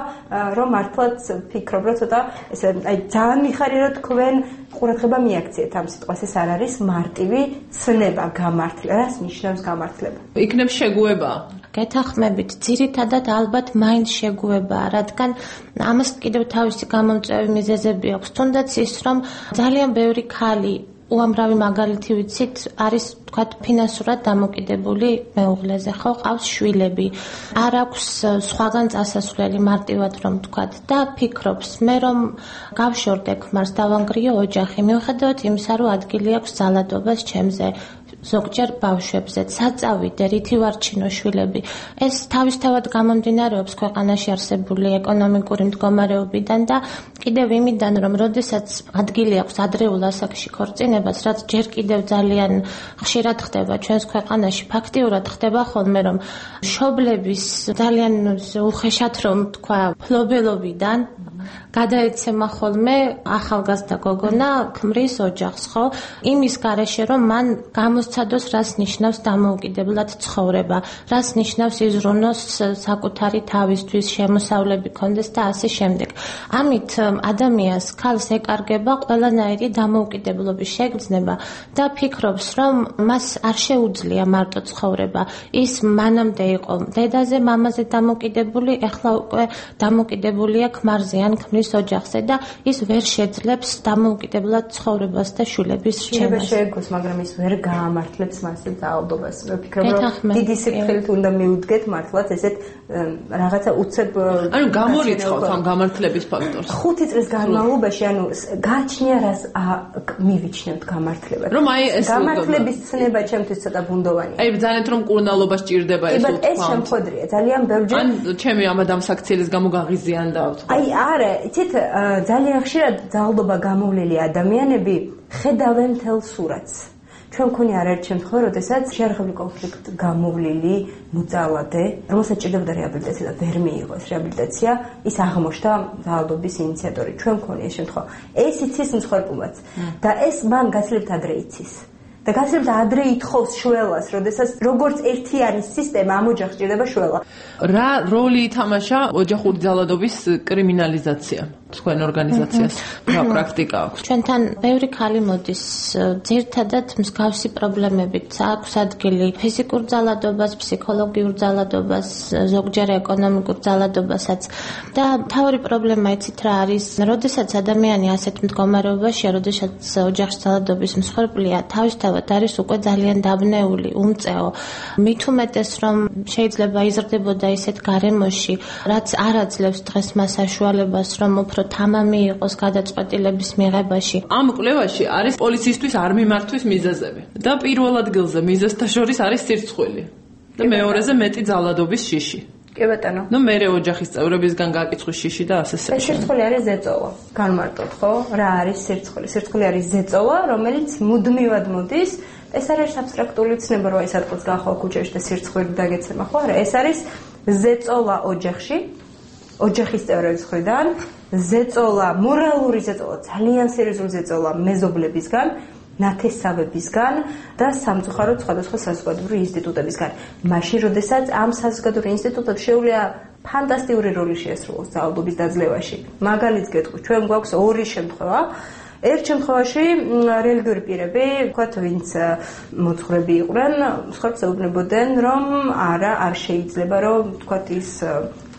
რომ მართლაც ფიქრობ, რომ ცოტა ესე აი ძალიან მიხარია, რომ თქვენ ყურადღება მიაქციეთ ამ სიტყვას, ეს არ არის მარტივი ცნება გამართლება. რას ნიშნავს გამართლება? იქნებ შეგუება. გეთახმებით, ძირითადად ალბათ მაინც შეგუებაა, რადგან ამას კიდევ თავისი გამომწვევი მიზეზები აქვს. თუნდაც ის, რომ ძალიან ბევრი ქალი უამრავი მაგალითი ვიცით, არის თქვათ ფინანსურად დამოკიდებული მეუღლეზე, ხო, ყავს შვილები. არ აქვს სხვაგან წასასვლელი მარტივად რომ თქვათ და ფიქრობს, მე რომ გავშორდე ქმარს, დავანგრიო ოჯახი, მიუხედავად იმისა, რომ ადგილი აქვს ძალადობას ჩემზე. ზოგჯერ ბავშვებზე საწავიდე რითი ვარჩინო შვილები. ეს თავისთავად გამომდინარეობს ქვეყანაში არსებული ეკონომიკური მდგომარეობიდან და კიდევ იმიდან, რომ როდესაც ადგილი აქვს ადრეულ ასაკში ქორწინებას, რაც ჯერ კიდევ ძალიან ხშირად ხდება ჩვენს ქვეყანაში, ფაქტიურად ხდება ხოლმე, რომ მშობლების ძალიან უხეშად რომ თქვა ფლობელობიდან გადაეცემა ხოლმე ახალგაზრდა გოგონა ქმრის ოჯახს, ხო? იმის გარეშე, რომ მან გამოსცადოს, რას ნიშნავს დამოუკიდებლად ცხოვრება, რას ნიშნავს იზრუნოს საკუთარი თავისთვის, შემოსავლები კონდეს და ასე შემდეგ. ამით ადამიანს ქალს ეკარგება ყველანაირი დამოუკიდებლობის შეგრძნება და ფიქრობს, რომ მას არ შეუძლია მარტო ცხოვრება. ის მანამდე იყო დედაზე, მამაზე დამოკიდებული, ეხლა უკვე დამოკიდებულია ქმარზე ან ქმრის ოჯახზე და ის ვერ შეძლებს დამოუკიდებლად ცხოვრებას და შვილების რჩევას. შეეგოს, მაგრამ ის ვერ გაამართლებს მასზე ძალადობას. ვფიქრობ, რომ დიდი სიფრთხილით უნდა მიუდგეთ მართლაც ესეთ რაღაცა უცებ ანუ გამორიცხავთ ამ გამართლების ფაქტორს. ხუთი წლის განმავლობაში, ანუ გააჩნია რას მივიჩნევთ გამართლებას. რომ აი ეს გამართლების ცნება ჩემთვის ცოტა ბუნდოვანია. აი ძალიან რომ კურნალობა სჭირდება ეს უთხო. ეს შემთხვედრია, ძალიან ბევრჯერ. ან ჩემი ამ ამ საქციელის გამო გაღიზიანდა ვთქვა. აი არა, იცით, ძალიან ხშირად ძალადობა გამოვლილი ადამიანები ხედავენ მთელ სურათს. ჩვენ მქონია არაერთ შემთხვევა, როდესაც შეერაღებული კონფლიქტ გამოვლილი მოძალადე, რომელსაც ჭირდებოდა რეაბილიტაცია და ვერ მიიღო ეს რეაბილიტაცია, ის აღმოჩნდა ძალადობის ინიციატორი. ჩვენ მქონია ეს შემთხვევა. ეს იცის მსხვერპლობაც და ეს მან გაცილებით ადრე იცის. და გაცილებით ადრე ითხოვს შველას, როდესაც როგორც ერთიანი სისტემა ამ ოჯახს ჭირდება შველა. რა როლი ითამაშა ოჯახური ძალადობის კრიმინალიზაცია თქვენ ორგანიზაციას? რა პრაქტიკა აქვს? ჩვენთან ბევრი ქალი მოდის ძირთადად მსგავსი პრობლემებით. აქვს ადგილი ფიზიკურ ძალადობას, ფსიქოლოგიურ ძალადობას, ზოგჯერ ეკონომიკურ ძალადობასაც. და მთავარი პრობლემა იცით რა არის? როდესაც ადამიანი ასეთ მდგომარეობაშია, როდესაც ოჯახის ძალადობის მსხვერპლია, თავისთავად არის უკვე ძალიან დაბნეული, უმწეო. მით უმეტეს რომ შეიძლება იზრდებოდა ისეთ გარემოში, რაც არ აძლევს დღეს მას საშუალებას, რომ უფრო თამამი იყოს გადაწყვეტილების მიღებაში. ამ კვლევაში არის პოლიციისთვის არ მიმართვის მიზეზები და პირველ ადგილზე მიზეზთა შორის არის სირცხვილი და მეორეზე მეტი ძალადობის შიში. კი ბატონო. ნუ მერე ოჯახის წევრებისგან გააკიცხვის შიში და ასე შემდეგ. ეს სირცხვილი არის ზეწოლა. განმარტოთ, ხო? რა არის სირცხვილი? სირცხვილი არის ზეწოლა, რომელიც მუდმივად მოდის. ეს არის აბსტრაქტული ცნება, რომ ეს ადგილს გახვალ ქუჩაში და სირცხვილი დაგეცემა, ხო? არა, ეს არის ზეწოლა ოჯახში, ოჯახის წევრების მხრიდან, ზეწოლა, მორალური ზეწოლა, ძალიან სერიოზული ზეწოლა მეზობლებისგან, ნათესავებისგან და სამწუხაროდ სხვადასხვა საზოგადოებრივი ინსტიტუტებისგან. მაშინ, როდესაც ამ საზოგადოებრივ ინსტიტუტებს შეუძლია ფანტასტიკური როლი შეასრულოს ძალადობის დაძლევაში. მაგალითს გეტყვი, ჩვენ გვაქვს ორი შემთხვევა. ერთ შემთხვევაში რელიგიური პირები, ვთქვათ, ვინც მოძღვრები იყვნენ, მსხვერპლს ეუბნებოდნენ, რომ არა, არ შეიძლება, რომ ვთქვათ, ის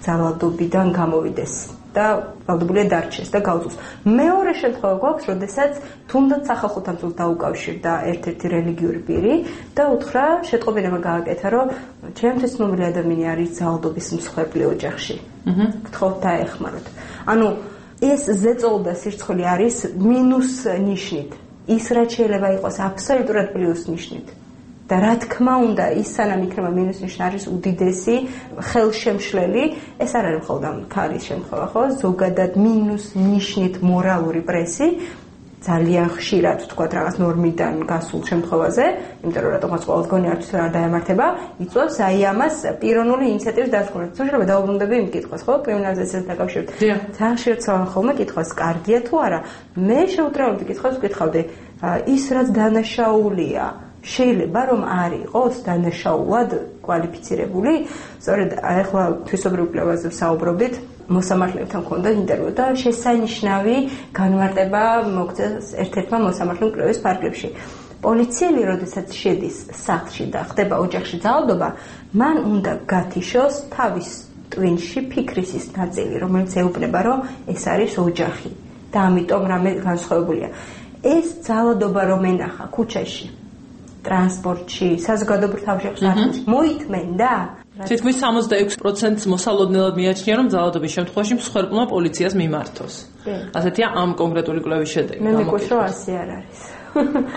ძალადობიდან გამოვიდეს და ვალდებულია დარჩეს და გაუწოს. მეორე შემთხვევა გვაქვს, როდესაც თუნდაც სახალხო თანხმობას დაუკავშირდა ერთ-ერთი რელიგიური პირი და უთხრა, შეტყობინება გააკეთა, რომ ჩემთვის ცნობილი ადამიანი არის ძალადობის მსხვერპლი ოჯახში. გთხოვთ დაეხმაროთ. ანუ ეს ზეწოლა და სირცხვილი არის მინუს ნიშნით. ის რაც შეიძლება იყოს აბსოლუტურად პლუს ნიშნით. და რა თქმა უნდა, ის სანამ იქნება მინუს ნიშნი არის უდიდესი ხელშემშლელი, ეს არ არის მხოლოდ ამ ქარის შემთხვევა, ხო? ზოგადად მინუს ნიშნით მორალური პრესი ძალიან ხშირად თქვა რაღაც ნორმიდან გასულ შემთხვევაზე, იმიტომ რომ რატომაც ყოველს გონი არც არ დაემართება, იწვევს აი ამას პიროვნული ინიციატივის დასკვნას. შეიძლება დაუბრუნდები იმ კითხვას, ხო, კრიმინალიზაციასთან დაკავშირებით. ძალიან ხშირად ცალ ხოლმე კითხვას, კარგია თუ არა? მე შეუძლებელი კითხვას ვკითხავდი, ის რაც დანაშაულია, შეიძლება რომ არ იყოს დანაშაულად კვალიფიცირებული. სწორედ ახლა თვისობრივ კვლევაზე ვსაუბრობდით. მოსამართლებთან მქონდა ინტერვიუ და შესანიშნავი განმარტება მოგწეს ერთ-ერთმა მოსამართლემ კვლევის ფარგლებში. პოლიციელი, როდესაც შედის სახლში და ხდება ოჯახში ძალადობა, მან უნდა გათიშოს თავის ტვინში ფიქრის ის ნაწილი, რომელიც ეუბნება, რომ ეს არის ოჯახი და ამიტომ რამე განსხვავებულია. ეს ძალადობა რომ ენახა ქუჩაში, ტრანსპორტში, საზოგადოებრივ თავშეყრებში, მოითმენდა? თითქმის სამოცდაექვსი პროცენტს მოსალოდნელად მიაჩნია, რომ ძალადობის შემთხვევაში მსხვერპლმა პოლიციას მიმართოს. ასეთია ამ კონკრეტული კვლევის შედეგი. მე მეკუს რომ ასე არ არის.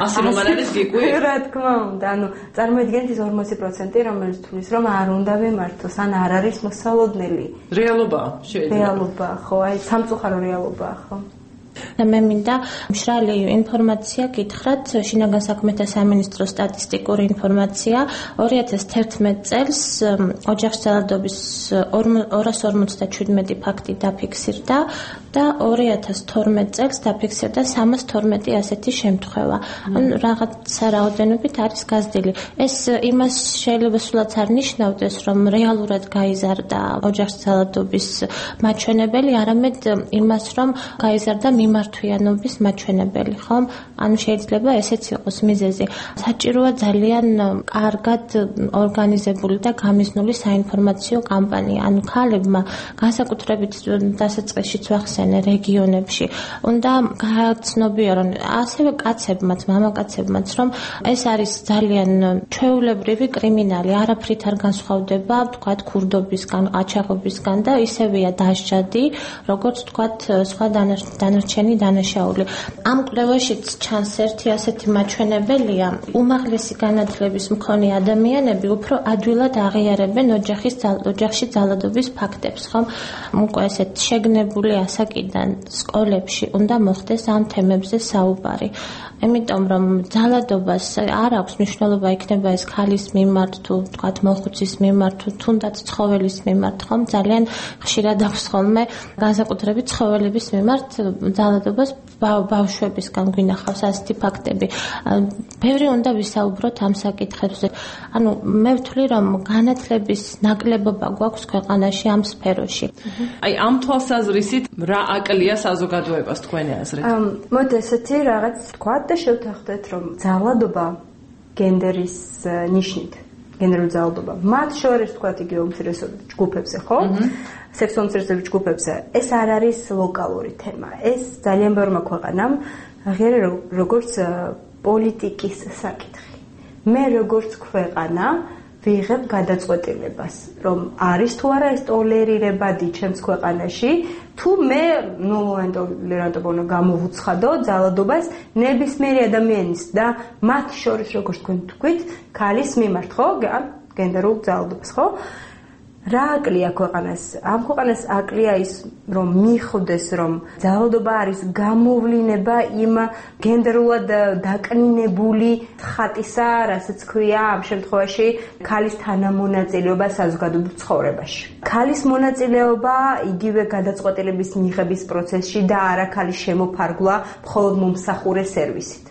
ასე რომ არ არის გიკვი? რა თქმა უნდა, ანუ წარმოიდგინეთ ის ორმოცი პროცენტი, რომელიც თulis რომ არ უნდა მიმართოს, ან არ არის მოსალოდნელი. რეალობაა, შეიძლება. რეალობაა, ხო, აი სამწუხარო რეალობაა, ხო. და მე მინდა მშრალი ინფორმაცია გითხრათ, შინაგან საქმეთა სამინისტროს სტატისტიკური ინფორმაცია ორი ათას თერთმეტ წელს ოჯახში ძალადობის ორას ორმოცდაჩვიდმეტი ფაქტი დაფიქსირდა და ორი ათას თორმეტ წელს დაფიქსირდა სამას თორმეტი ასეთი შემთხვევა. ანუ რაღაცა რაოდენობით არის გაზრდილი. ეს იმას შეიძლება სულაც არ ნიშნავდეს, რომ რეალურად გაიზარდა ოჯახში ძალადობის მაჩვენებელი, არამედ იმას, რომ გაიზარდა მიმართვიანობის მაჩვენებელი, ხომ? ანუ შეიძლება ესეც იყოს მიზეზი. საჭიროა ძალიან კარგად ორგანიზებული და გამიზნული საინფორმაციო კამპანია. ანუ ქალებმა განსაკუთრებით დასაწყისშიც ვახსენე რეგიონებში უნდა გააცნობიერონ ასევე კაცებმაც, მამაკაცებმაც, რომ ეს არის ძალიან ჩვეულებრივი კრიმინალი, არაფრით არ განსხვავდება, ვთქვათ, ქურდობისგან, ყაჩაღობისგან და ისევეა დასჯადი, როგორც ვთქვათ, სხვა დანარჩენი დანაშაული. ამ კვლევაშიც ჩანს ერთი ასეთი მაჩვენებელია, უმაღლესი განათლების მქონე ადამიანები უფრო ადვილად აღიარებენ ოჯახის ოჯახში ძალადობის ფაქტებს, ხომ? უკვე ესეთ შეგნებული ასაკიდან სკოლებში უნდა მოხდეს ამ თემებზე საუბარი. იმიტომ რომ ძალადობას არ აქვს მნიშვნელობა, იქნება ეს ქალის მიმართ თუ ვთქვათ მოხუცის მიმართ თუ თუნდაც ცხოველის მიმართ, ხომ? ძალიან ხშირად აქვს ხოლმე განსაკუთრებით ცხოველების მიმართ ძალადობას ბავშვებისგან გვინახავს ასეთი ფაქტები. ბევრი უნდა ვისაუბროთ ამ საკითხებზე. ანუ მე ვთვლი რომ განათლების ნაკლებობა გვაქვს ქვეყანაში ამ სფეროში. აი ამ თვალსაზრისით რა აკლია საზოგადოებას თქვენი აზრით? მოდი ესეთი რაღაც თქვა და შევთანხმდეთ რომ ძალადობა გენდერის ნიშნით, გენდერული ძალადობა. მათ შორის თქვა იგი უმცირესობრივ ჯგუფებზე, ხო? სექსუალურ უმცირესობრივ ჯგუფებზე. ეს არ არის ლოკალური თემა. ეს ძალიან ბევრმა ქვეყანამ აღიარა როგორც პოლიტიკის საკითხი. მე როგორც ქვეყანა ვიღებ გადაწყვეტილებას, რომ არის თუ არა ეს ტოლერირებადი ჩემს ქვეყანაში, თუ მე ნულოვანი ტოლერანტობა უნდა გამოვუცხადო ძალადობას ნებისმიერი ადამიანის და მათ შორის როგორც თქვენ თქვით, ქალის მიმართ, ხო? გენდერულ ძალადობას, ხო? რა აკლია ქვეყანას? ამ ქვეყანას აკლია ის, რომ მიხვდეს, რომ ძალადობა არის გამოვლინება იმ გენდერულად დაკნინებული ხატისა, რასაც ქვია ამ შემთხვევაში ქალის თანამონაწილეობა საზოგადოებრივ ცხოვრებაში. ქალის მონაწილეობა იგივე გადაწყვეტილების მიღების პროცესში და არა ქალის შემოფარგლა მხოლოდ მომსახურე სერვისით.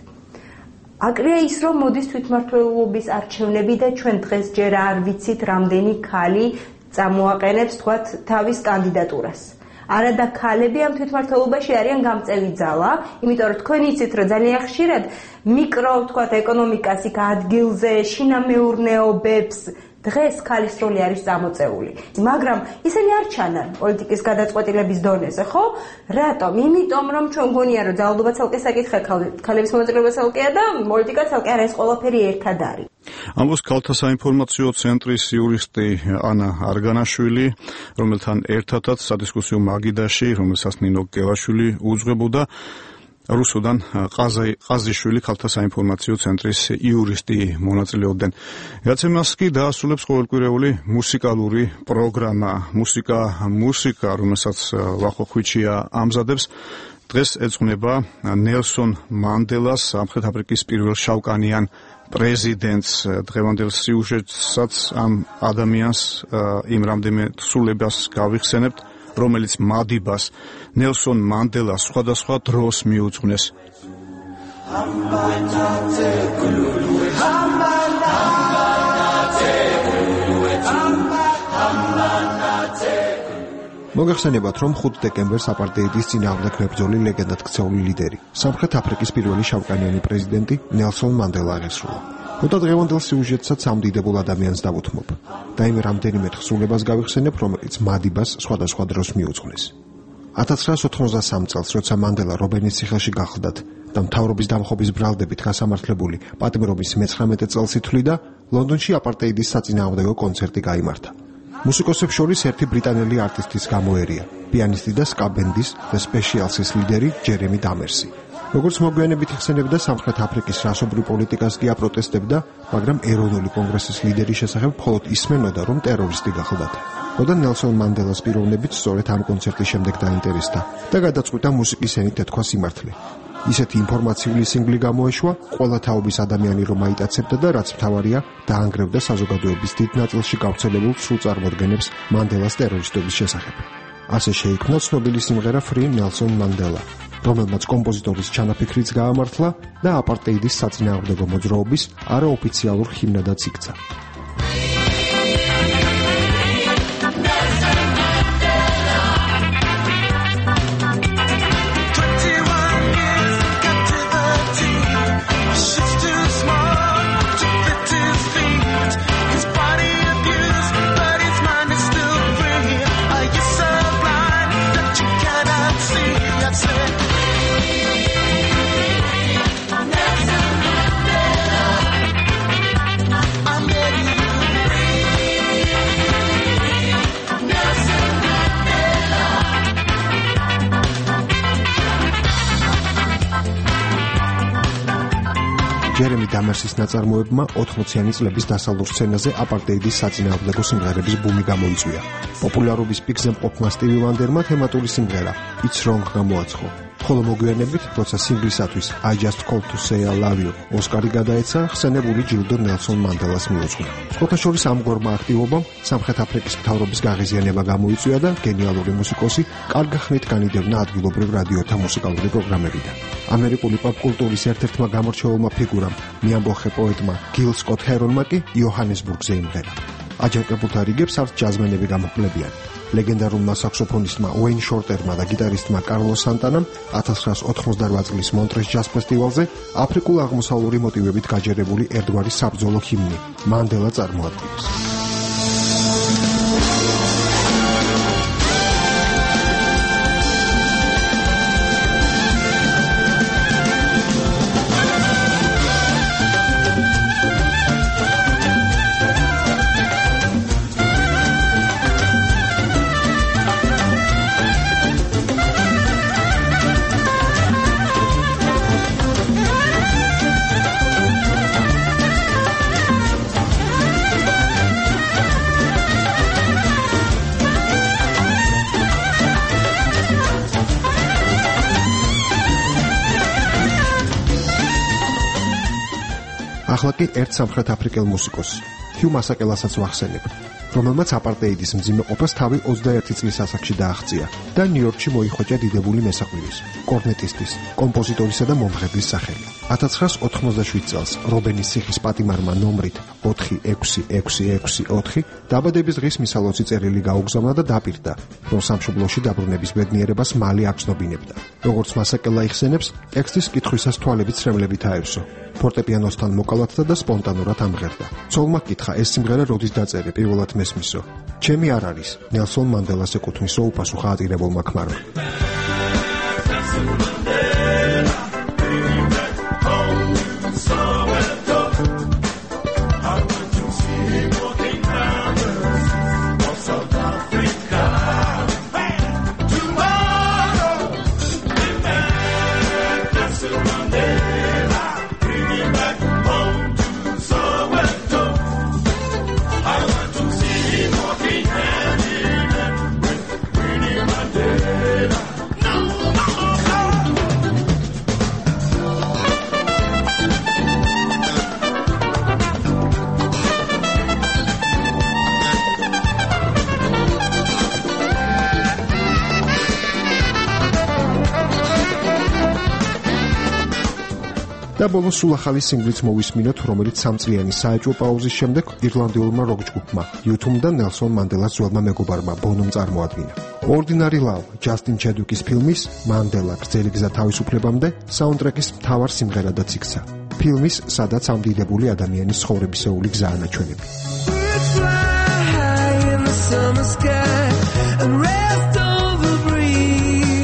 აკლია ის, რომ მოდის თვითმმართველობის არჩევნები და ჩვენ დღეს ჯერ არ ვიცით, რამდენი ქალი წამოაყენებს თქვათ თავის კანდიდატურას. არა და ქალები ამ თვითმმართველობაში არიან გამწევი ძალა, იმიტომ რომ თქვენ იცით, რომ ძალიან ხშირად მიკრო თქვათ ეკონომიკას იქ ადგილზე, შინამეურნეობებს დღეს ქალის როლი არის წამოწეული. მაგრამ ისინი არ ჩანან პოლიტიკის გადაწყვეტილების დონეზე, ხო? რატომ? იმიტომ რომ ჩვენ გონია რომ ძალადობა ცალკე საკითხია, ქალების მონაწილეობა ცალკეა და პოლიტიკა ცალკე არა, ეს ყველაფერი ერთად არის. ამბობს ქალთა საინფორმაციო ცენტრის იურისტი ანა არგანაშვილი, რომელთან ერთადაც სადისკუსიო მაგიდაში, რომელსაც ნინო გელაშვილი უძღვებოდა, რუსუდან ყაზიშვილი ქალთა საინფორმაციო ცენტრის იურისტი მონაწილეობდნენ. ეაცემას კი დაასრულებს ყოველკვირეული მუსიკალური პროგრამა, მუსიკა, მუსიკა, რომელსაც ვახო ხვიჩია ამზადებს. დღეს ეძღვნება ნელსონ მანდელას, სამხრეთ აფრიკის პირველ შავკანიან პრეზიდენტს. დღევანდელ სიუჟეტსაც ამ ადამიანს იმ რამდენიმე თხზულებას გავიხსენებთ, რომელიც მადიბას ნელსონ მანდელას სხვადასხვა დროს მიუძღვნეს. მოგეხსენებათ, რომ ხუთი დეკემბერს აპარტეიდის წინააღმდეგ მებრძოლი ლეგენდად ქცეული ლიდერი, სამხრეთ აფრიკის პირველი შავკანიანი პრეზიდენტი ნელსონ მანდელა აღესრულა. მოდა დღევანდელ სიუჟეტსაც ამდიდებულ ადამიანს დავუთმობ და იმ რამდენიმე თხზულებას გავიხსენებ, რომელიც მადიბას სხვადასხვა დროს მიუძღვნეს. ათას ცხრაასი ოთხმოცდასამი წელს, როცა მანდელა რობენის ციხეში გახლდათ და მთავრობის დამხობის ბრალდებით გასამართლებული პატიმრობის მეცხრამეტე წელს ითვლიდა, ლონდონში აპარტეიდის საწინააღმდეგო კონცერტი გაიმართა. მუსიკოსებს შორის ერთი ბრიტანელი არტისტის გამოერია, პიანისტი და სკა ბენდის The Specialsის ლიდერი ჯერემი დამერსი. როგორც მოგვიანებით იხსენებდა, სამხრეთ აფრიკის რასობრივ პოლიტიკას კი აპროტესტებდა, მაგრამ ეროვნული კონგრესის ლიდერის შესახებ მხოლოდ ისმენოდა, რომ ტერორისტი გახლდათ. და ნელსონ მანდელას პიროვნებით სწორედ ამ კონცერტის შემდეგ დაინტერესდა და გადაწყვიტა მუსიკის ენით ეთქვა სიმართლე. ისეთი ინფორმაციული სინგლი გამოეშვა, ყველა თაობის ადამიანი რომ აიტაცებდა და რაც მთავარია, დაანგრევდა საზოგადოების დიდ ნაწილში გავრცელებულ სრულ წარმოდგენებს მანდელას ტერორისტობის შესახებ. ასე შეიქმნა ცნობილი სიმღერა Free Nelson Mandela, რომელმაც კომპოზიტორის ჩანაფიქრიც გაამართლა და აპარტეიდის საწინააღმდეგო მოძრაობის არაოფიციალურ ჰიმნადაც იქცა. ჯერემი დამერსის ნაწარმოებმა ოთხმოციანი წლების დასავლურ სცენაზე აპარტეიდის საწინააღმდეგო სიმღერების ბუმი გამოიწვია. პოპულარობის პიკზე მყოფმა სტივი ვანდერმა თემატური სიმღერა It's Wrong გამოაცხო. ხოლო მოგვიანებით, როცა სინგლისათვის I Just Called to Say I Love You ოსკარი გადაეცა, ხსენებული ჯილდო ნელსონ მანდელას მიუძღვნა. სხვათაშორის ამგვარმა აქტივობამ სამხრეთ აფრიკის მთავრობის გაღიზიანება გამოიწვია და გენიალური მუსიკოსი კარგი ხნით განიდევნა ადგილობრივ რადიოთა მუსიკალური პროგრამებიდან. ამერიკული პოპ-კულტურის ერთ-ერთმა გამორჩეულმა ფიგურამ, მიამბოხე პოეტმა გილ სკოტ ჰერონმა კი იოჰანესბურგზე იმღერა. აჯანყებულთა რიგებს არც ჯაზმენები გამოყლებიან. ლეგენდარულმა საქსოფონისტმა უეინ შორტერმა და გიტარისტმა კარლოს სანტანამ ათას ცხრაასი ოთხმოცდარვა წლის მონტრეს ჯაზ ფესტივალზე აფრიკულ-აღმოსავლური მოტივებით გაჯერებული ერთგვარი საბრძოლო ჰიმნი მანდელა წარმოადგენს. ახლა კი ერთ სამხრეთ აფრიკელ მუსიკოს, ჰიუ მასაკელასაც ვახსენებ, რომელმაც აპარტეიდის მძიმე ყოფას თავი ოცდაერთი წლის ასაკში დააღწია და ნიუ-იორკში მოიხოჭა დიდებული მესაყვირის, კორნეტისტის, კომპოზიტორისა და მომღერლის სახელი. ათას ცხრაასი ოთხმოცდაშვიდი წელს რობენის ციხის პატიმარმა ნომრით ოთხი ექვსი ექვსი ექვსი ოთხი დაბადების დღის მისალოცი წერილი გაუგზავნა და დაპირდა, რომ სამშობლოში დაბრუნების ბედნიერებას მალე აღწნობინებდა. როგორც მასაკელა იხსენებს, ტექსტის კითხვისას თვალებით სრემლებით აევსო. ფორტეპიანოსთან მოკალათდა და სპონტანურად ამღერდა. ცოლმა კითხა, ეს სიმღერა როდის დაწერე, პირველად მესმისო. ჩემი არ არის, ნელსონ მანდელას ეკუთვნის, უპასუხა ატირებულმა ქმარმა. და ბოლოს სულ ახალი სინგლიც მოვისმინოთ, რომელიც სამწლიანი საეჭვო პაუზის შემდეგ ირლანდიულმა როკ ჯგუფმა იუ თუმ და ნელსონ მანდელას ძველმა მეგობარმა ბონომ წარმოადგინა. Ordinary Love, ჯასტინ ჩედვიკის ფილმის მანდელა გრძელი გზა თავისუფლებამდე საუნდტრეკის მთავარ სიმღერადაც იქცა. ფილმის, სადაც ამდიდებული ადამიანის ცხოვრებისეული გზა ანაჩვენები. Summer sky and rest on the breeze.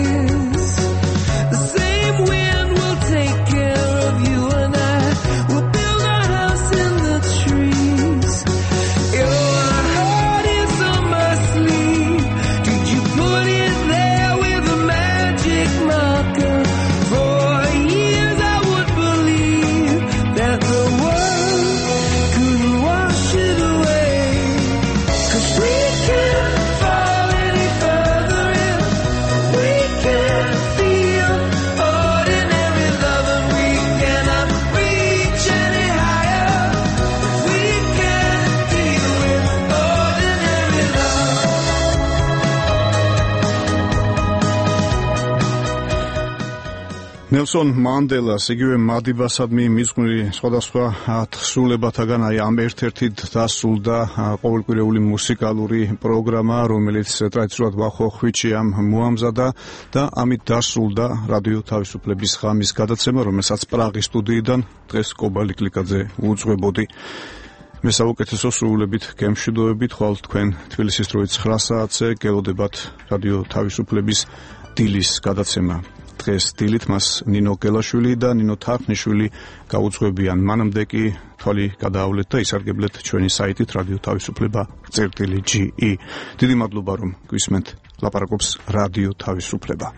ნელსონ მანდელას იგივე მადიბასადმი მისმული სხვადასხვა თხზულებათაგან აი ამ ერთ-ერთი დასრულდა ყოველკვირეული მუსიკალური პროგრამა, რომელიც ტრადიციულად ვახოხვიჩი ამ მოამზადა და ამით დასრულდა რადიო თავისუფლების ღამის გადაცემა, რომელსაც პრაღის სტუდიიდან დღეს კობალი კლიკაძე უძღვებოდი. მე საუკეთესო სრულებით გემშვიდობებით ხვალ თქვენ თბილისის დროით ცხრა საათზე გელოდებათ რადიო თავისუფლების დილის გადაცემა. დღეს დილით მას ნინო გელაშვილი და ნინო თარხნიშვილი გაუძღვებიან. მანამდე კი თვალი გადაავლეთ და ისარგებლეთ ჩვენი საიტით რადიო თავისუფლება წერტილი ჯი ი. დიდი მადლობა რომ გვისმენთ. ლაპარაკობს რადიო თავისუფლება.